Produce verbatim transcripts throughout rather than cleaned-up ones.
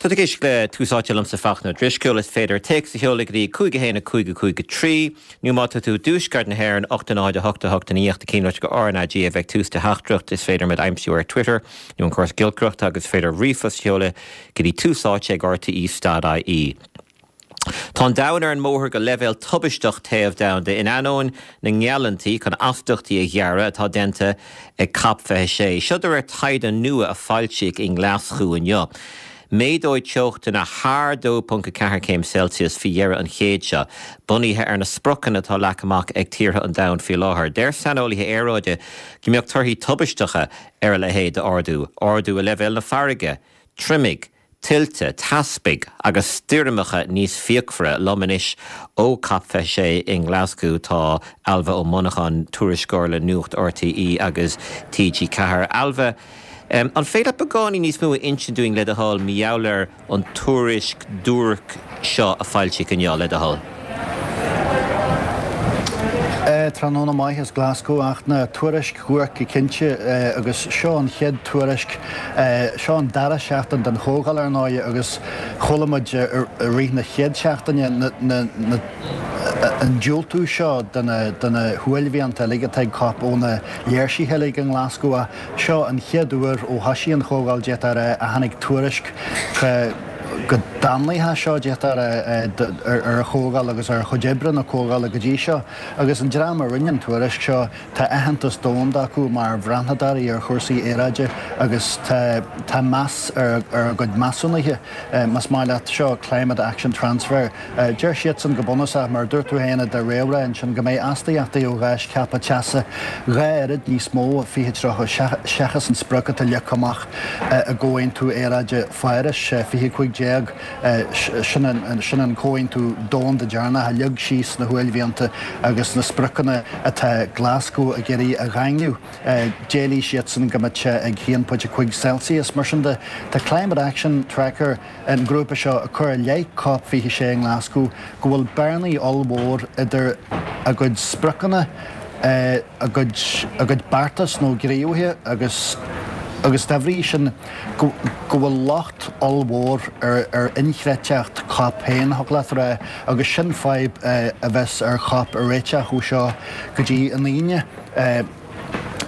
Tá tú ag éisteacht le Tús Áite liomsa Fachtna Ó Drisceoil is féidir téacs a sheoladh go dtí cúig a haon a cúig a cúig a trí nó má tá tú i dtuaisceart na hÉireann ocht a náid a hocht a hocht a naoi ach cinnte go RnaG a bheidh tús do theachtaireacht is féidir muid a aimsiú ar Twitter nó an córas giolcaireachta agus féidir ríomhphost a sheoladh go dtí tús áite ag RTE dot IE. Tá an domhan ar an mbóthar go leibhéal tubaisteach téamh domhanda in ainneoin na ngeallúintí chun astaíochtaí a ghearradh atá déanta ag COP fiche sé. Seo de réir taighde nua a foilsíodh i nGlaschú inniu. Méadóidh teochtanna thar dó ponc a ceathair céim Celsius faoi dheireadh an chéid seo, bunaithe ar na spriocanna atá leagtha amach ag tíortha an domhain faoi láthair. Deir saineolaithe aeráide go mbeadh torthaí tubaisteacha ar a leithéid d'ardú, ardú i leibhéal na farraige, triomaigh, tuilte, teaspaigh agus stoirmeacha níos fíochmhaire. Liom anois ó COP fiche sé i nGlaschú tá Ailbhe Ó Monacháin, tuairisceoir le Nuacht RTÉ agus TG Ceathair. Ailbhe, an féidir leat beagáinín níos mó a insint dúinn le do thoil mar gheall ar an tuairisc duairc seo a foilsíodh inniu, le do thoil? Tráthnóna maith as Glasgow ach na tuairisc dhuairc go cinnte agus seo an chéad tuairisc, seo an dara seachtain den chomhdháil ar ndóigh agus chuala muid i rith na chéad seachtaine na an diúltú seo de na huaillmhianta uilig atá ag COP ó na léirsithe uilig i nGlasgow ach seo an chéad uair ó thosaigh an chomhdháil d'fhéadfá a rá a tháinig tuairisc chomh damnaithe seo d'fhéadfá a rá ar an chomhdháil agus ar chuid oibre na comhdhála go dtí seo. Agus an dream a rinne an tuairisc seo, tá aitheantas domhanda acu mar bhreathnadóirí ar chúrsaí aeráide agus tá tá meas ar a gcuid measúnuithe. Más maith leat, seo Climate Action Transfer. Deir siadsan go bunúsach, mar a dúirt tú féin i do réamhrá ansin, go mbeidh astaíochtaí ó gháis ceaptha teasa dhá oiread níos mó i fiche tríocha seachas an sprioc atá leagtha amach i gComhaontú Aeráide Pháras, fiche cúig déag. Sin an comhaontú domhanda deireanach a leag síos na huaillmhianta agus na spriocanna atá Glasgow ag iarraidh a dhaingniú. D'éiligh siadsan go mbeadh sé ag haon pointe cúig Celsius. Mar sin de, tá Climate Action Tracker, an grúpa seo, ag cur i leith Cop fiche sé i nGlasgow go bhfuil bearnaí ollmhór idir a gcuid spriocanna, a gcuid a gcuid beartas nó gníomhaithe agus agus dá bhrí sin go go bhfuil locht ollmhór ar ar inchreidteacht Cop féin, thig leat a rá, agus sin fadhb a bheas ar Chop a réiteach ó seo go dtí an Aoine.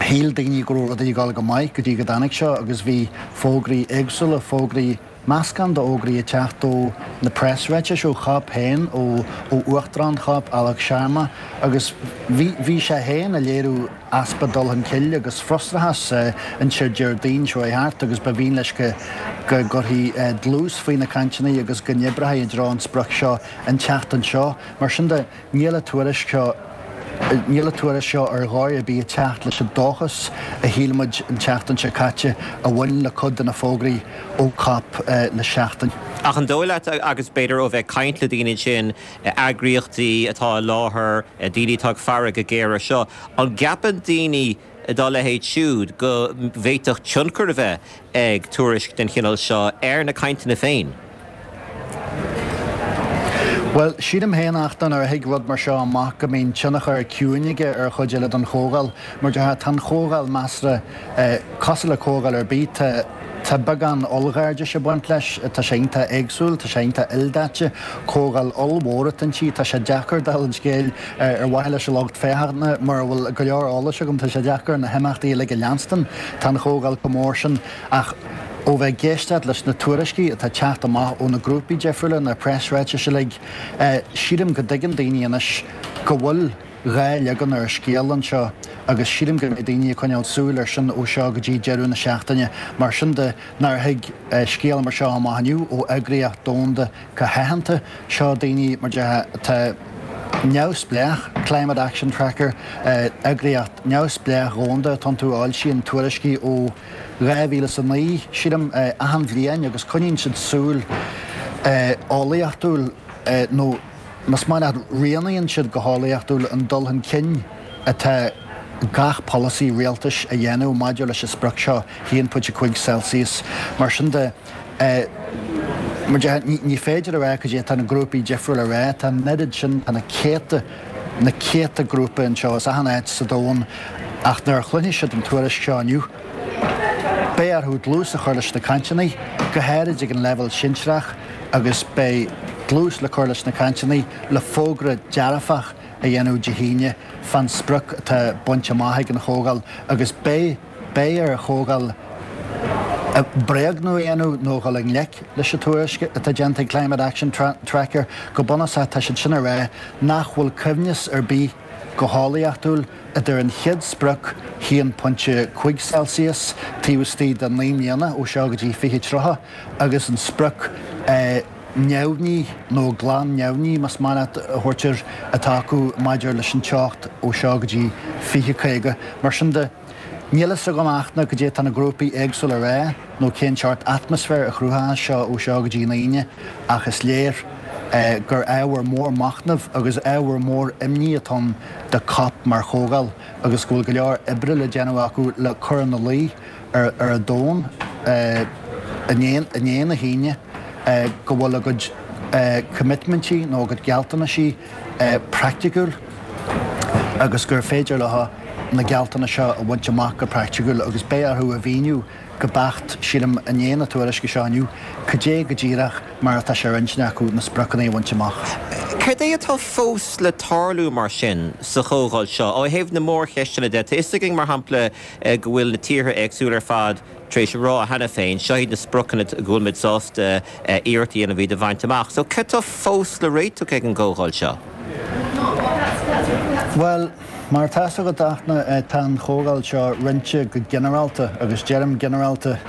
Shíl daoine go raibh rudaí ag dul go maith go dtí go dtáinig seo agus bhí fógraí éagsúla, fógraí, meascán d'fhógraí ag teacht ó na preasráitis ó Chop féin, ó Uachtarán Chop, Alok Sharma, agus bhí bhí sé féin ag léiriú easpa dul chun cinn agus frustrachas ansin Déardaoin seo chuaigh thart agus ba mhian leis go go gcuirfí dlús faoi na cainteanna agus go n-oibreofaí i dtreo an sprioc seo an tseachtain seo. Mar sin de, níl an tuairisc seo. Níl an tuairisc seo ar dhóigh ar bith ag teacht leis an dóchas a shíl muid an tseachtain seo caite a bhain le cuid de na fógraí ó Cop le seachtain. Ach an dóigh leat, agus b'fhéidir ó bheith ag caint le daoine ansin, eagraíochtaí atá i láthair, daoine atá ag faire go géar air seo, an gceapann daoine dá leithéid siúd go bhféadfadh tionchar a bheith ag tuairisc den chineál seo ar na cainteanna féin? Bhuel, sílim féin ach nuair a thig rud mar seo amach go mbíonn tionchar ciúin aige ar chuid eile den chomhdháil. Mar déarfá, tá an chomhdháil measartha cosúil le comhdháil ar bith, tá tá beagán ollghairdis ag baint leis, tá sé iontach éagsúil, tá sé iontach ildaite, comhdháil ollmhór atá inti, tá sé deacair dála an scéil ar mhaithe leis an lucht féachana, mura bhfuil go leor eolais agam, tá sé deacair na himeachtaí uilig a leanstan, tá an chomhdháil chomh mór sin ach. Ó bheith ag éisteacht leis na tuairiscí atá ag teacht amach ó na grúpaí difriúla, na preasráitis uilig, sílim go dtuigeann daoine anois go bhfuil dhá leagan ar an scéal anseo agus sílim go mbeidh daoine ag coinneáil súil air sin ó seo go dtí deireadh na seachtaine. Mar sin de, nuair a thig scéal mar seo amach inniu ó eagraíocht domhanda chomh haitheanta, seo daoine, mar déarfá, atá neamhspleách, Climate Action Tracker, eagraíocht neamhspleách dhomhanda atá iontu a fhoilsíonn tuairiscí ó dhá mhíle is a naoi, sílim, achan bhliain agus coinníonn siad súil eolaíochtúil nó más maith leat rianaíonn siad go heolaíochtúil an dul chun cinn atá gach polasaí rialtais a dhéanamh maidir leis an sprioc seo, haon pointe cúig Celsius. Mar sin de, mar déarfá, ní féidir a rá cad é atá na grúpaí difriúla a rá, tá an oiread sin, tá na céadta, na céadta grúpa anseo as achan áit sa domhan ach nuair a chluinfidh siad an tuairisc seo inniu, Beidh orthu dlús a chur leis na cainteanna, go háirid ag an leibhéal sinsearach, agus beidh dlús le cur leis na cainteanna le fógra dearfach a dhéanamh Dé hAoine fán sprioc atá bainte amach ag an Chomhdháil agus beidh beidh ar an Chomhdháil bréagnú a dhéanamh nó dhul i ngleic leis an tuairisc atá déanta ag Climate Action Tracker. Go bunúsach tá siad sin ag rá nach bhfuil coibhneas ar bith go heolaíochtúil idir an chéad sprioc haon pointe cúig Celsius taobh istigh de naoi mbliana ó seo go dtí fiche tríocha agus an sprioc neamhní nó glan neamhní más maith leat a thabhairt air atá acu maidir leis an teocht ó seo go dtí fiche caoga. Mar sin de, níl a fhios agam ach ná goidé tá na grúpaí éagsúla a rá nó cén seort atmaisféir a chruthóidh seo ó seo go dtí an Aoine ach is léir gur ábhar mór machnaimh agus ábhar mór imní atá ann do COP mar chomhdháil agus go bhfuil go leor oibre le déanamh acu le cur ina luí ar an domhan i ndiaidh na hAoine go bhfuil a gcuid coimitmintí nó a gcuid gealltanaisí praiticiúil agus gur féidir leo na gealltanais seo a bhaint amach go praiticiúil agus beidh orthu a mhíniú go beacht, sílim, i ndiaidh na tuairisce seo inniu, cad é go díreach mar atá sé ar intinn acu na spriocanna a bhaint amach. Cad é atá fós le tarlú mar sin sa chomhdháil seo? Ó thaobh na mórcheisteanna de, tá a fhios againn, mar shampla, go bhfuil na tíortha éagsúla ar fad tar éis a rá cheana féin, seo iad na spriocanna go bhfuil muid sásta iarracht a dhéanamh iad a bhaint amach. So cad tá fós le réiteach ag an gcomhdháil seo? Bhuel, mar atá a fhios agat, Fhachtna, tá an chomhdháil seo roinnte go ginearálta, agus deirim ginearálta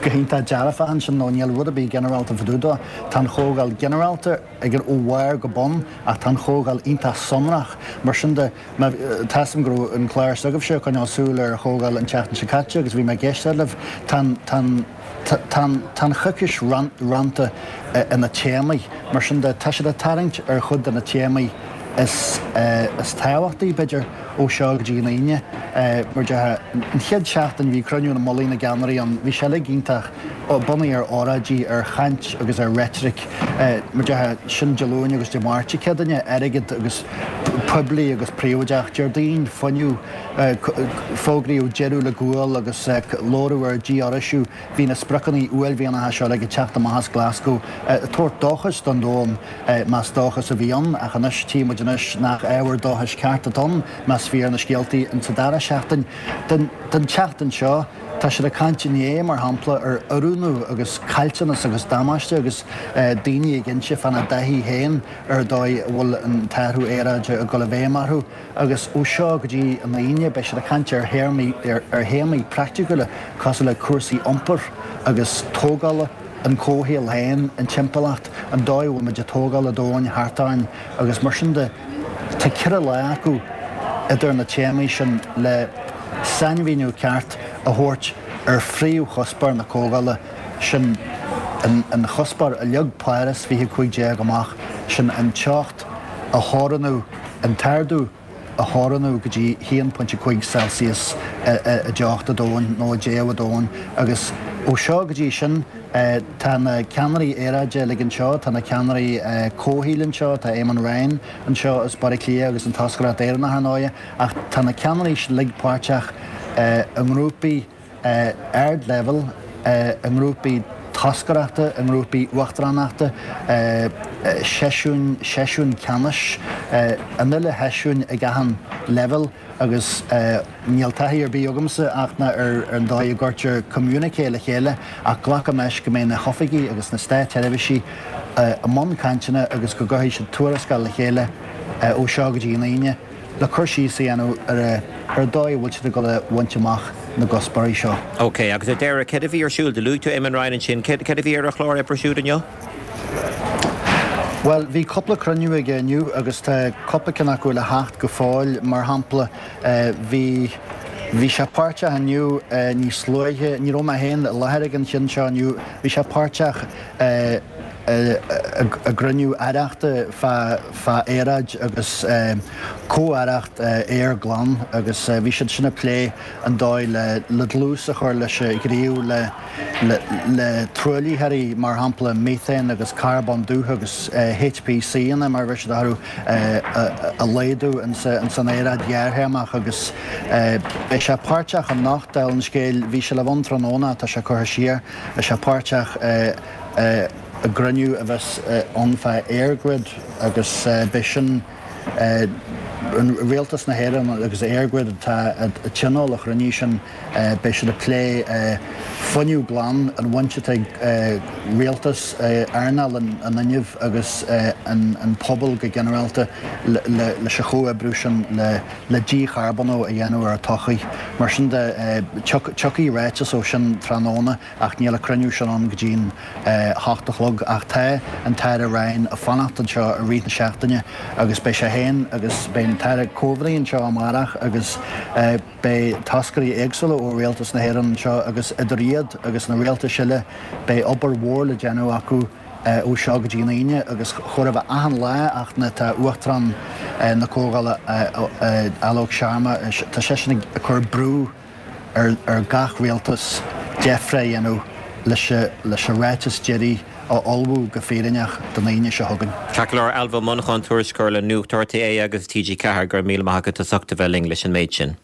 go hiontach dearfach ansin, nó níl rud ar bith ginearálta fá dtaobh dó. Tá an chomhdháil ginearálta ag ó bharr go bun, ach tá an chomhdháil iontach sonrach. Mar sin de, tá a fhios agam go raibh an clár s'agaibhse ag coinneáil súil ar an chomhdháil an tseachtain seo caite agus bhí mé ag éisteacht libh. Tá an, tá an, tá an, tá an choicís roinnte ina téamaí. Mar sin de, tá siad ag tarraingt ar chuid de na téamaí is is tábhachtaí, b'fhéidir, ó seo go dtí an Aoine. Mar déarfá, an chéad seachtain bhí cruinniú na mullaigh na gceannairí ann, bhí sé uilig iontach bunaithe ar óráidí, ar chaint agus ar reitric. Mar déarfá, sin Dé Luain agus Dé Máirt, Céadaoine, airgead agus poiblí agus príobháideach, Déardaoin, fuinneamh, fógraíodh deireadh le gual agus labhradh ar dhífhoraoisiú. Bhí na spriocanna uaillmhianacha seo uilig ag teacht amach as Glasgow, ag tabhairt dóchais don domhan, más dóchas a bhí ann, ach anois tchí muid anois nach ábhar dóchais ceart atá ann, más fíor na scéaltaí insa dara seachtain. Den tseachtain seo, tá siad ag caint inné, mar shampla, ar oiriúnú agus caillteanas agus damáiste agus daoine ag inse fána dtaithí féin ar an dóigh a bhfuil an t-athrú aeráide ag dul i bhfeidhm orthu. Agus ó seo go dtí an Aoine beidh siad ag caint ar théarmaí, ar théamaí praiticiúla cosúil le cúrsaí iompair agus tógála, an comhshaol féin, an timpeallacht, an dóigh a bhfuil muid ag tógáil an domhain thart orainn agus mar sin de. Tá ceithre lá acu idir na téamaí sin le sainmhíniú ceart a thabhairt ar phríomhchuspóir na comhdhála, sin an chuspóir a leag Páras fiche cúig déag amach, sin an teocht a theorannú, an t-ardú a theorannú go dtí haon pointe cúig Celsius i dteocht an domhain nó i dtéamh an domhain. Agus ó seo go dtí sin, tá na ceannairí aeráide uilig anseo, tá na ceannairí comhshaoil anseo, tá Eamon Ryan anseo as Baile Átha Cliath agus an toscaireacht Éireannach ar ndóighe, ach tá na ceannairí sin uilig páirteach i ngrúpaí ardleibhéil, i ngrúpaí toscaireachta, i ngrúpaí uachtaránachta, seisiúin, seisiúin ceannais, an uile sheisiún ag achan leibhéal agus níl taithí ar bith agamsa ach ná ar an dóigh a gcuirtear communiqué le chéile ach glacaim leis go mbeidh na hoifigí agus na státseirbhísí i mbun cainteanna agus go gcuirfidh siad tuarascáil le chéile ó seo go dtí an Aoine le cur síos a dhéanamh ar ar an dóigh a bhfuil siad ag dul a bhaint amach na gcuspóirí seo. Ok, agus ar deireadh, céard a bhí ar siúl? Do luaigh tú Eamon Ryan ansin. Céard a bhí ar a chlár oibre siúd inniu? Bhuel, bhí cúpla cruinniú aige inniu agus tá cúpla ceann acu le theacht go fóill. Mar shampla, bhí bhí sé páirteach inniu níos luaithe, ní raibh mé féin i láthair ag an cheann seo inniu, bhí sé páirteach i I gcruinniú aireachta fá aeráid agus comh-aireacht aer glan agus bhí siad sin ag plé an dóigh le dlús a chur leis an ghníomh le le truaillitheoirí mar shampla methane agus carbón dubh agus HPC-anna mar a bheir siad orthu a laghdú ins an aeráid ghearrthéarmach agus beidh sé páirteach anocht dála an scéil bhí sé le bheith ann tráthnóna tá sé curtha siar beidh sé páirteach i gcruinniú a bheas ann fá EirGrid agus beidh sin an Rialtas na hÉireann agus EirGrid atá ag tionól an chruinnithe sin beidh siad ag plé fuinneamh glan an bhaint atá ag rialtas, earnáil an fhuinnimh agus an pobal go ginearálta leis an chomhoibriú sin le dícharbónú a dhéanamh ar an tsochaí. Mar sin de tiocfaidh ráiteas ó sin tráthnóna ach níl an cruinniú sin ann go dtí an hocht a chlog ach tá an tAire Ryan ag fanacht anseo i rith na seachtaine agus beidh sé féin agus beidh an tAire Coveney anseo amárach agus beidh toscairí éagsúla ó Rialtas na hÉireann anseo agus idir iad agus na rialtais eile beidh obair mhór le déanamh acu ó seo go dtí an Aoine agus chóir a bheith achan lá ach na tá Uachtarán na Comhdhála Alok Sharma tá seisean ag cur brú ar ar gach rialtas deifre a dhéanamh leis leis an ráiteas deiridh a ullmhú go fírinneach don Aoine seo chugainn. Ceart go leor Ailbhe Ó Monacháin, tuairisceoir le Nuacht RTÉ agus TG Ceathair, go raibh míle maith agat as ucht a bheith linn leis an méid sin.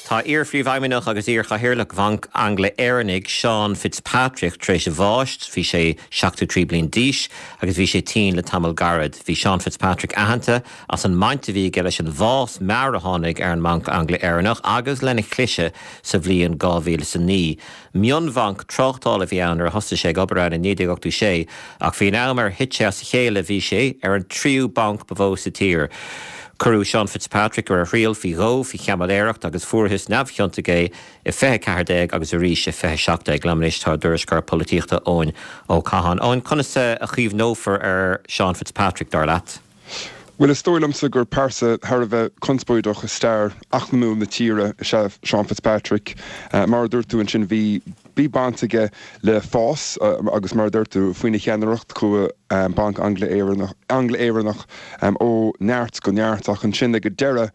Tá iar-phríomhfheidhmeannach agus iar-chathaoirleach Bhanc Angla-Éireannaigh Seán Fitzpatrick tar éis a bháis, bhí sé seachtó trí bliain d'aois agus bhí sé tinn le tamall gairid. Bhí Seán Fitzpatrick aitheanta as an mbaint a bhí aige leis an bhfás mear a tháinig ar an mBanc Angla-Éireannach agus lena chliseadh sa bhliain dhá mhíle is a naoi. Mionbhanc tráchtála a bhí ann nuair a thosaigh sé ag obair ann i naoi déag ochtó sé ach faoin am ar thit sé as a chéile bhí sé ar an tríú banc ba mhó sa tír. Cuireadh Seán Fitzpatrick ar a thriail faoi dhó faoi chaimiléireacht agus fuarthas neamhchiontach é i fiche ceathair déag agus arís i fiche seacht déag. Liom anois tá ár dtuairisceoir polaitíochta Eoin Ó Catháin. Eoin, conas a chuimhneofar ar Seán Fitzpatrick, dar leat? Bhuel, is dóigh liomsa gur pearsa thar a bheith conspóideach i stair eacnamúil na tíre is ea Seán Fitzpatrick. Mar a dúirt tú ansin, bhí Bhí baint aige le fás agus mar a dúirt tú faoina cheannaireacht chuaigh Banc Angla-Éireannach ó neart go neart ach ansin ag an deireadh,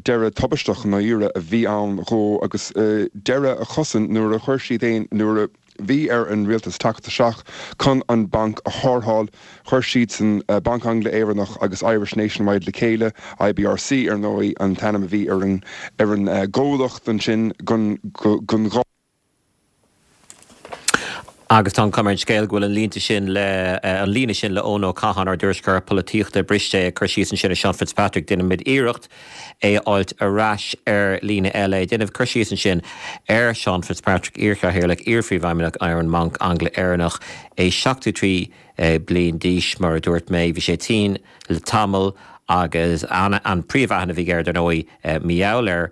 deireadh tubaisteach i ndáiríre a bhí ann dhó agus deireadh a chosain nuair a chuir siad aon nuair a bhí ar an rialtas teacht isteach chun an banc a tharrtháil. Chuir siadsan Banc Angla-Éireannach agus Irish Nationwide le chéile, IBRC ar ndóigh an t-ainm a bhí ar an ar an gcomhlacht ansin don dhá Agus tá an chuma ar an scéal go bhfuil an línte sin le an líne sin le Eoin Ó Catháin, ár dtuairisceoir polaitíochta, briste ag cur síos ansin ar Seán Fitzpatrick. Déanfaimid iarracht é a fháilt ar ais ar líne eile. Ag déanamh cur síos ansin ar Seán Fitzpatrick, iarchathaoirleach, iarphríomhfheidhmeannach ar an mBanc Angla-Éireannach, é seachtó trí bliain d'aois, mar a dúirt mé. Bhí sé tinn le tamall agus an an príomhaithne a bhí air, dar ndóigh, mar gheall ar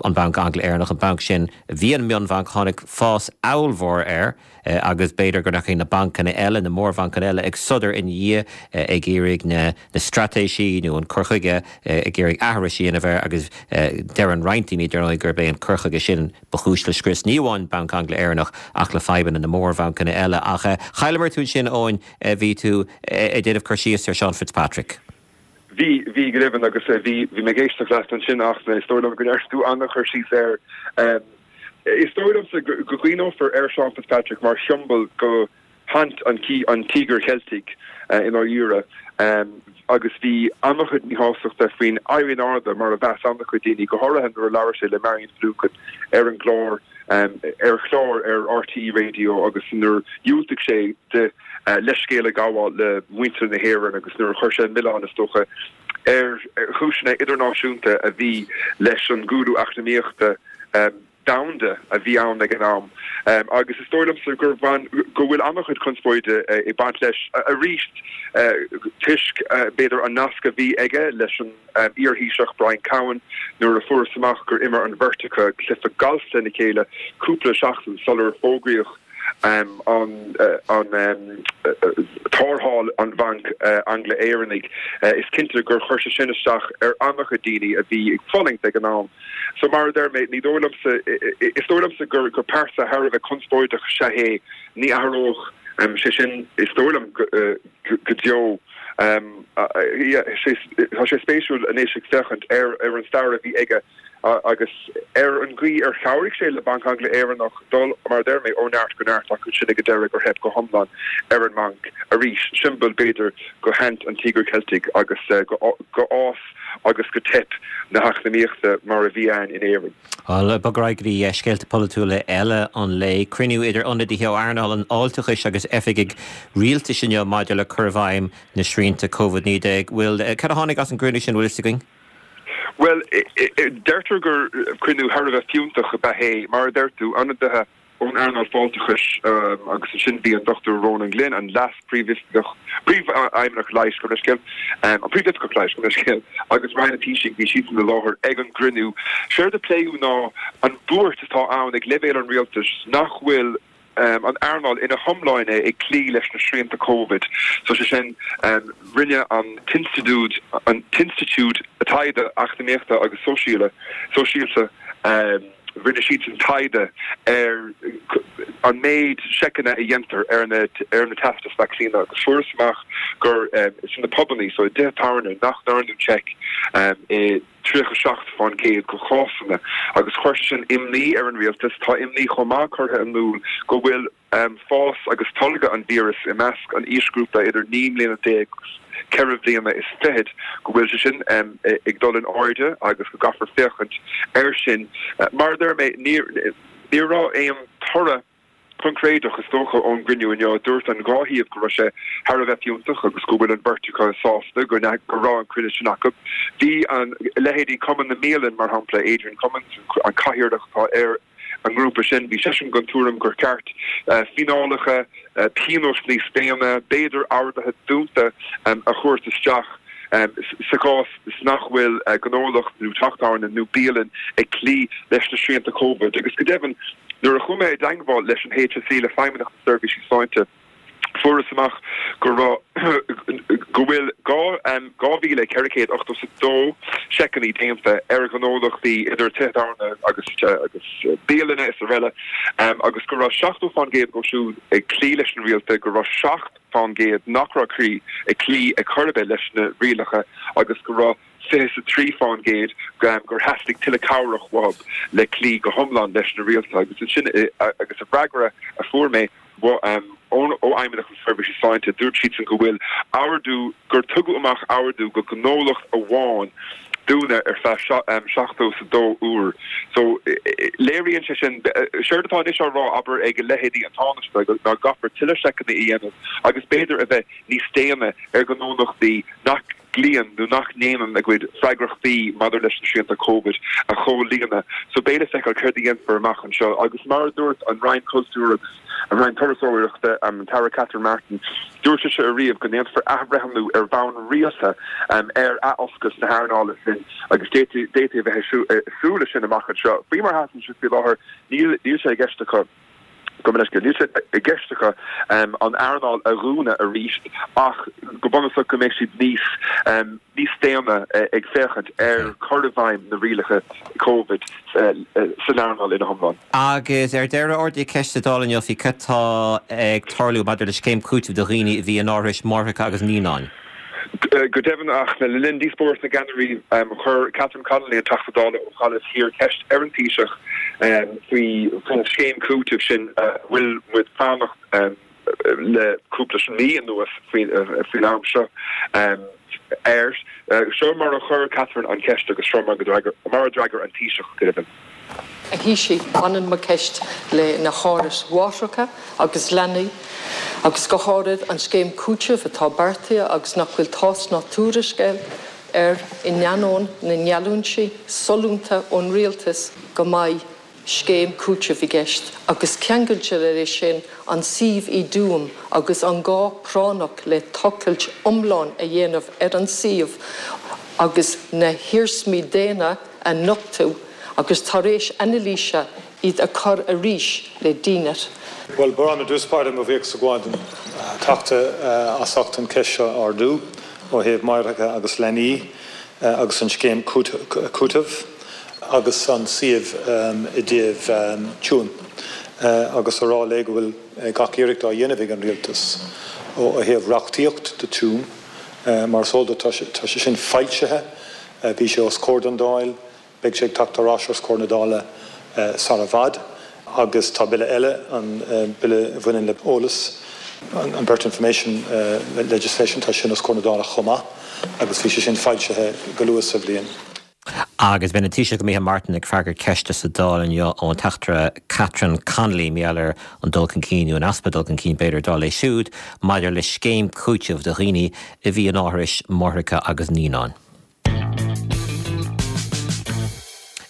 an Bhanc Angla-Éireannach, an banc sin, bhí an mionbhanc, tháinig fás ollmhór air agus b'fhéidir go ndeachaigh na bancanna eile, na mórbhancanna eile ag sodar ina dhiaidh ag iarraidh na na straitéisí nó an cur chuige, ag iarraidh aithris a dhéanamh air agus deireann roinnt daoine, dar ndóigh, gurb é an cur chuige sin ba chúis le scrios ní amháin Banc Angla-Éireannach ach le fadhbanna na mórbhancanna eile. Ach chailleamar tú ansin, Eoin, bhí tú ag déanamh cur síos ar Seán Fitzpatrick. Bhí, bhí go deimhin agus bhí, bhí mé ag éisteacht leat ansin ach is dóigh liom go ndearna tú an-chur síos air. Is dóigh liomsa go gcuimhneofar ar Seán Fitzpatrick mar shiombail go shaint an an Tíogair Cheiltigh i ndáiríre agus bhí an-chuid míshástachta faoin éirí in airde mar a mheas an-chuid daoine, go háirithe nuair a labhair sé le Marion Finucane ar an gclár ar chlár ar RTÉ Radio agus nuair dhiúltaigh sé de leithscéal a ghabháil le muintir na hÉireann agus nuair a chuir sé an milleán, is dócha, ar chúiseanna idirnáisiúnta a bhí leis an gcúlú eacnamaíochta domhanda a bhí ann ag an am. Agus is dóigh liomsa gur bhain, go bhfuil an-chuid conspóide ag baint leis arís toisc, b'fhéidir, an nasc a bhí aige leis an iar-Thaoiseach Brian Cowen nuair a fuarthas amach gur imir an bheirt acu cluiche gailf lena chéile cúpla seachtain sular fógraíodh an an tarrtháil an Bhanc Angla-Éireannaigh, is cinnte gur chuir sé sin isteach ar an-chuid daoine a bhí ag fulaingt ag an am. So mar a deir mé, ní dóigh liomsa, is dóigh liomsa gur gur pearsa thar a bheith conspóideach is ea é, ní athródh sé sin is dóigh liom go deo. Tá sé spéisiúil anois ag féachaint ar ar an stair a bhí aige agus ar an gcaoi ar chabhraigh sé le Banc Angla-Éireannach dul, mar a deir mé, ó neart go neart ach ansin ag an deireadh gur theip go hiomlán ar an mbanc arís, siombail b'fhéidir go shaint an Tíogair Cheiltigh agus go fhás agus go teip na heacnamaíochta mar a bhí ann in Éirinn. Bhuel, bog ar aghaidh go dtí scéalta polaitiúla eile an lae. Cruinniú idir ionadaithe ó earnáil an fháilteachais agus oifigigh rialtais inniu maidir le cur i bhfeidhm na srianta Covid naoi déag. Bhfuil, cad a tháinig as an gcruinniú sin, bhfuil fhios againn? Bhuel, deirtear gur cruinniú thar a bheith fiúntach ab ea é. Mar a deir tú, ionadaithe ón earnáil fáilteachais agus ansin bhí an Dochtúir Ronan Glynn, an Leas-Phríomhoifigeach, Príomhfheidhmeannach Leighis, gabh mo leithscéal, an Príomhoifigeach Leighis, gabh mo leithscéal, agus Roinn an Taoisigh, bhí siadsan i láthair ag an gcruinniú. Séard a pléadh ná an bhuairt atá ann ag leibhéal an rialtais nach bhfuil an earnáil ina hiomláine ag cloí leis na srianta Covid. So sé sin, rinne an tInstitiúid, an tInstitiúid Taighde Eacnamaíochta agus Sóisialta, rinne siadsan taighde ar an méid seiceanna a dhéantar ar na ar na teastais vacsaíne agus fuarthas amach gur sna pubannaí, so i dtithe tábhairne, nach ndearnadh seic i tríocha a seacht fán gcéad de chásanna agus chuir sé sin imní ar an rialtas. Tá imní chomh maith curtha in iúl go bhfuil fás agus tolgadh an víreas i measc an aoisghrúpa idir naoi mbliana déag agus ceithre bliana is fichead, go bhfuil sé sin ag dul in airde agus go gcaithfear féachaint air sin. Mar a deir mé, ní raibh aon toradh coincréideach, is dócha, ón gcruinniú inniu. Dúirt an dhá thaobh go raibh sé thar a bheith fiúntach agus go bhfuil an bheirt acu sásta go raibh an cruinniú sin acu. Bhí an leithéidí Cumann na mBialann, mar shampla, Adrian Cummins, an cathaoirleach atá ar an ngrúpa sin, bhí seisean den tuairim gur cheart fíneálacha, pionóis níos déine, b'fhéidir orduithe dúnta a thabhairt isteach sa chás is nach bhfuil gnólacht nó teach tábhairne nó bialann ag cloí leis na srianta Covid. Agus go deimhin, nuair a chuaigh mé i dteangmháil leis an H S E, le Feidhmeannacht na Seirbhísí Sláinte, fuarthas amach go raibh go bhfuil dhá mhíle ceithre chéad ochtó is a dó seiceanna déanta ar ghnólachtaí idir tithe tábhairne agus agus bialanna is araile agus go raibh seachtó fán gcéad acu siúd ag cloí leis na rialta, go raibh seacht fán gcéad nach raibh cloí ag cloí ag chor ar bith leis na rialacha agus go raibh fiche is a trí fán gcéad gur theastaigh tuilleadh cabhrach uathu le cloí go hiomlán leis na rialta. Agus ansin agus sa bhfreagra a fuair mé ó Fheidhmeannacht na Seirbhísí Sláinte, dúirt siadsan go bhfuil ordú, gur tugadh amach ordú go gnólacht amháin dúnadh ar feadh seachtó is a dó uair. So léiríonn sé sin, séard atá anois á rá, abair, ag leithéidí an Tánaiste ná go gcaithfear tuilleadh seiceanna a dhéanamh agus b'fhéidir a bheith níos déine ar ghnólachtaí nach gcloíonn nó nach ndéanann a gcuid freagrachtaí maidir leis na srianta Covid a chomhlíonadh. So beidh le feiceáil céard a dhéanfar amach anseo agus mar a dúirt an Roinn Cultúir agus an Roinn Turasóireachta, an tAire Catherine Martin, dúirt sise ariamh go ndéanfar athbhreithniú ar bhonn rialta ar athoscailt na hearnála sin agus d'fhéadfaí a bheith ag súil leis sin amach anseo. Faoi mar atá sé faoi láthair níl sé i gceist acu. Gabh mo leithscéal, níl sé i gceist acu an earnáil a dhúnadh arís ach go bunúsach go mbeidh siad níos níos déine ag féachaint ar chur i bhfeidhm na rialacha Covid san earnáil ina hiomlán. Agus ar deireadh, ardaíodh ceist sa Dáil inniu faoi cad tá ag tarlú maidir le scéim cúitimh do dhaoine a bhí in árais máithreacha agus naíonáin. Go deimhin, ach le linn díospóireacht na gceannairí, chuir Catherine Connolly, an Teachta Dála ó Ghaillimh Thiar, ceist ar an Taoiseach faoi faoin scéim cúitimh sin a bhfuil muid ag fanacht le cúpla mí anuas faoin am seo air. Seo mar a chuir Catherine an cheist agus seo mar a d'fhreagair an Taoiseach, go deimhin. A Thaoisigh, baineann mo cheist le na hárais mháithreacha agus leanaí, agus go háirid an scéim cúitimh atá beartaithe agus nach bhfuil tásc ná tuairisc air in ainneoin na ngeallúintí sollúnta ón rialtas go mbeidh scéim cúitimh i gceist, agus ceangailte leis sin an suíomh i dTuaim agus an gá práinneach le tochailt iomlán a dhéanamh ar an suíomh agus na hiarsmaí daonna a nochtadh agus tar éis anailíse iad a chur arís le dínit. Bhuel, ba mhaith liom i dtús báire mo bhuíochas a ghabháil don Teachta as ucht an cheist seo a ardú ó thaobh máithreacha agus leanaí agus an scéim cúitimh agus an suíomh i dtaobh Tuaim agus a rá léi go bhfuil gach iarracht á dhéanamh ag an Rialtas ó thaobh reachtaíocht do Tuaim mar is eol duit tá sé sin foilsithe, bhí sé os comhair don Dáil, beidh sé ag teacht ar ais os comhair na Dála sar i bhfad agus tá bille eile, an bille a bhaineann le eolas, an Birth Information Legislation, tá sin os comhair na Dála chomh maith agus bhí sé sin foilsithe go luath sa bhliain. Agus b'in an Taoiseach Micheál Martin ag freagairt ceiste sa Dáil inniu ón Teachtaire Catherine Connolly mar gheall ar an dul chun cinn nó an easpa dul chun cinn b'fhéidir dar léi siúd maidir le scéim cúitimh do dhaoine a bhí in áithris máithreacha agus naíonáin.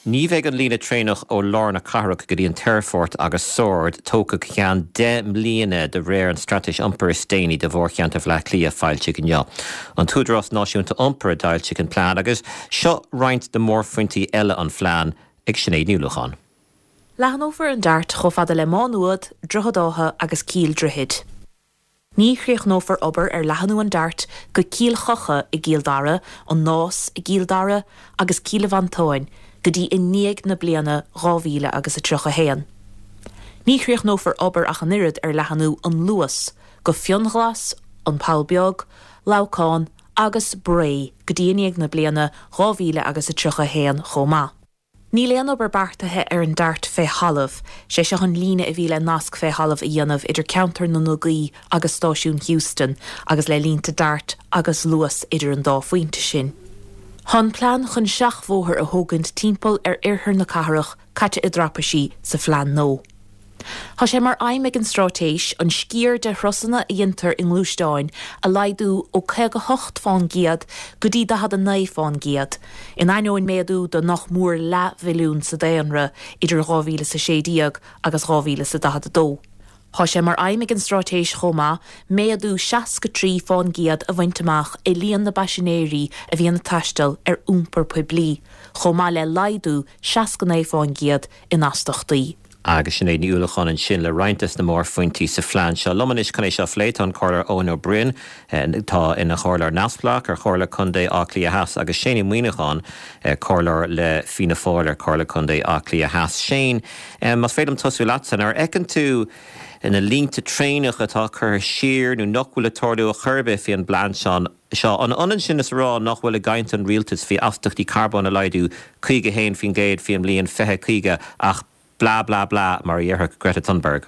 Ní bheidh an líne traenach ó lár na cathrach go dtí an t-aerfort agus Sord tógtha go ceann deich mbliana de réir an straitéis iompair is déanaí do mhórcheantar Bhaile Átha Cliath foilsithe inniu. An tÚdarás Náisiúnta Iompair a d'fhoilsigh an plean agus seo roinnt de mhórphointí eile an phlean ag Sinéad Ní Uallacháin. Leathnófar an Dart chomh fada le Má Nuad, Droichead Átha agus Cill Droichid. Ní chríochnófar obair ar leathnú an Dart go Cill Choca i gCill Dara, an Nás i gCill Dara agus Cill Mhantáin go dtí i ndiaidh na bliana dhá mhíle agus a tríocha haon. Ní chríochnófar obair ach an oiread ar leathnú an Luas go Fionnghlas, An Poll Beag, Leamhcán agus Bré go dtí i ndiaidh na bliana dhá mhíle agus a tríocha haon chomh maith. Níl aon obair beartaithe ar an Dart fé thalamh, sé seo an líne a bhí le nasc fé thalamh a dhéanamh idir ceantar na nDugaí agus stáisiún Heuston agus le línte Dart agus Luas idir an dá phointe sin. Tá an plean chun seachbhóthar a thógaint timpeall ar oirthear na cathrach caite i dtraipisí sa phlean nua. Tá sé mar aidhm ag an straitéis an sciar de thurasanna a dhéantar i ngluaisteáin a laghdú ó caoga hocht fán gcéad go dtí daichead a naoi fán gcéad, in ainneoin méadú de nach mór leathmhilliún sa daonra idir dhá mhíle is a sé déag agus dhá mhíle is a daichead a dó. Tá sé mar aidhm ag an straitéis chomh maith méadú seasca trí fán gcéad a bhaint amach i líon na bpaisinéirí a bhíonn ag taisteal ar iompar poiblí, chomh maith le laghdú seasca naoi fán gcéad in astachtaí. Agus Sinéad Ní Uallacháin ansin le roinnt des na mórphointí sa phlean seo. Liom anois chun é seo a phlé tá an Comhairleoir Eoin Ó Broin, atá ina chomhairleoir neamhspleách ar Chomhairle Contae Átha Cliath Theas, agus Shane Ó Muíneacháin, comhairleoir le Fianna Fáil ar Chomhairle Contae Átha Cliath Theas. Shane, más féidir liom tosú leatsa, nuair a fheiceann tú na línte traenach atá curtha siar nó nach bhfuil ag tarlú ar chor ar bith faoin bplean seo, an ionann sin is a rá nach bhfuil i gcaint an rialtais faoi astachtaí carbóin a laghdú caoga a haon faoin gcéad faoin mbliain fiche caoga ach blah blah blah mar a dhéarfadh Greta Thunberg?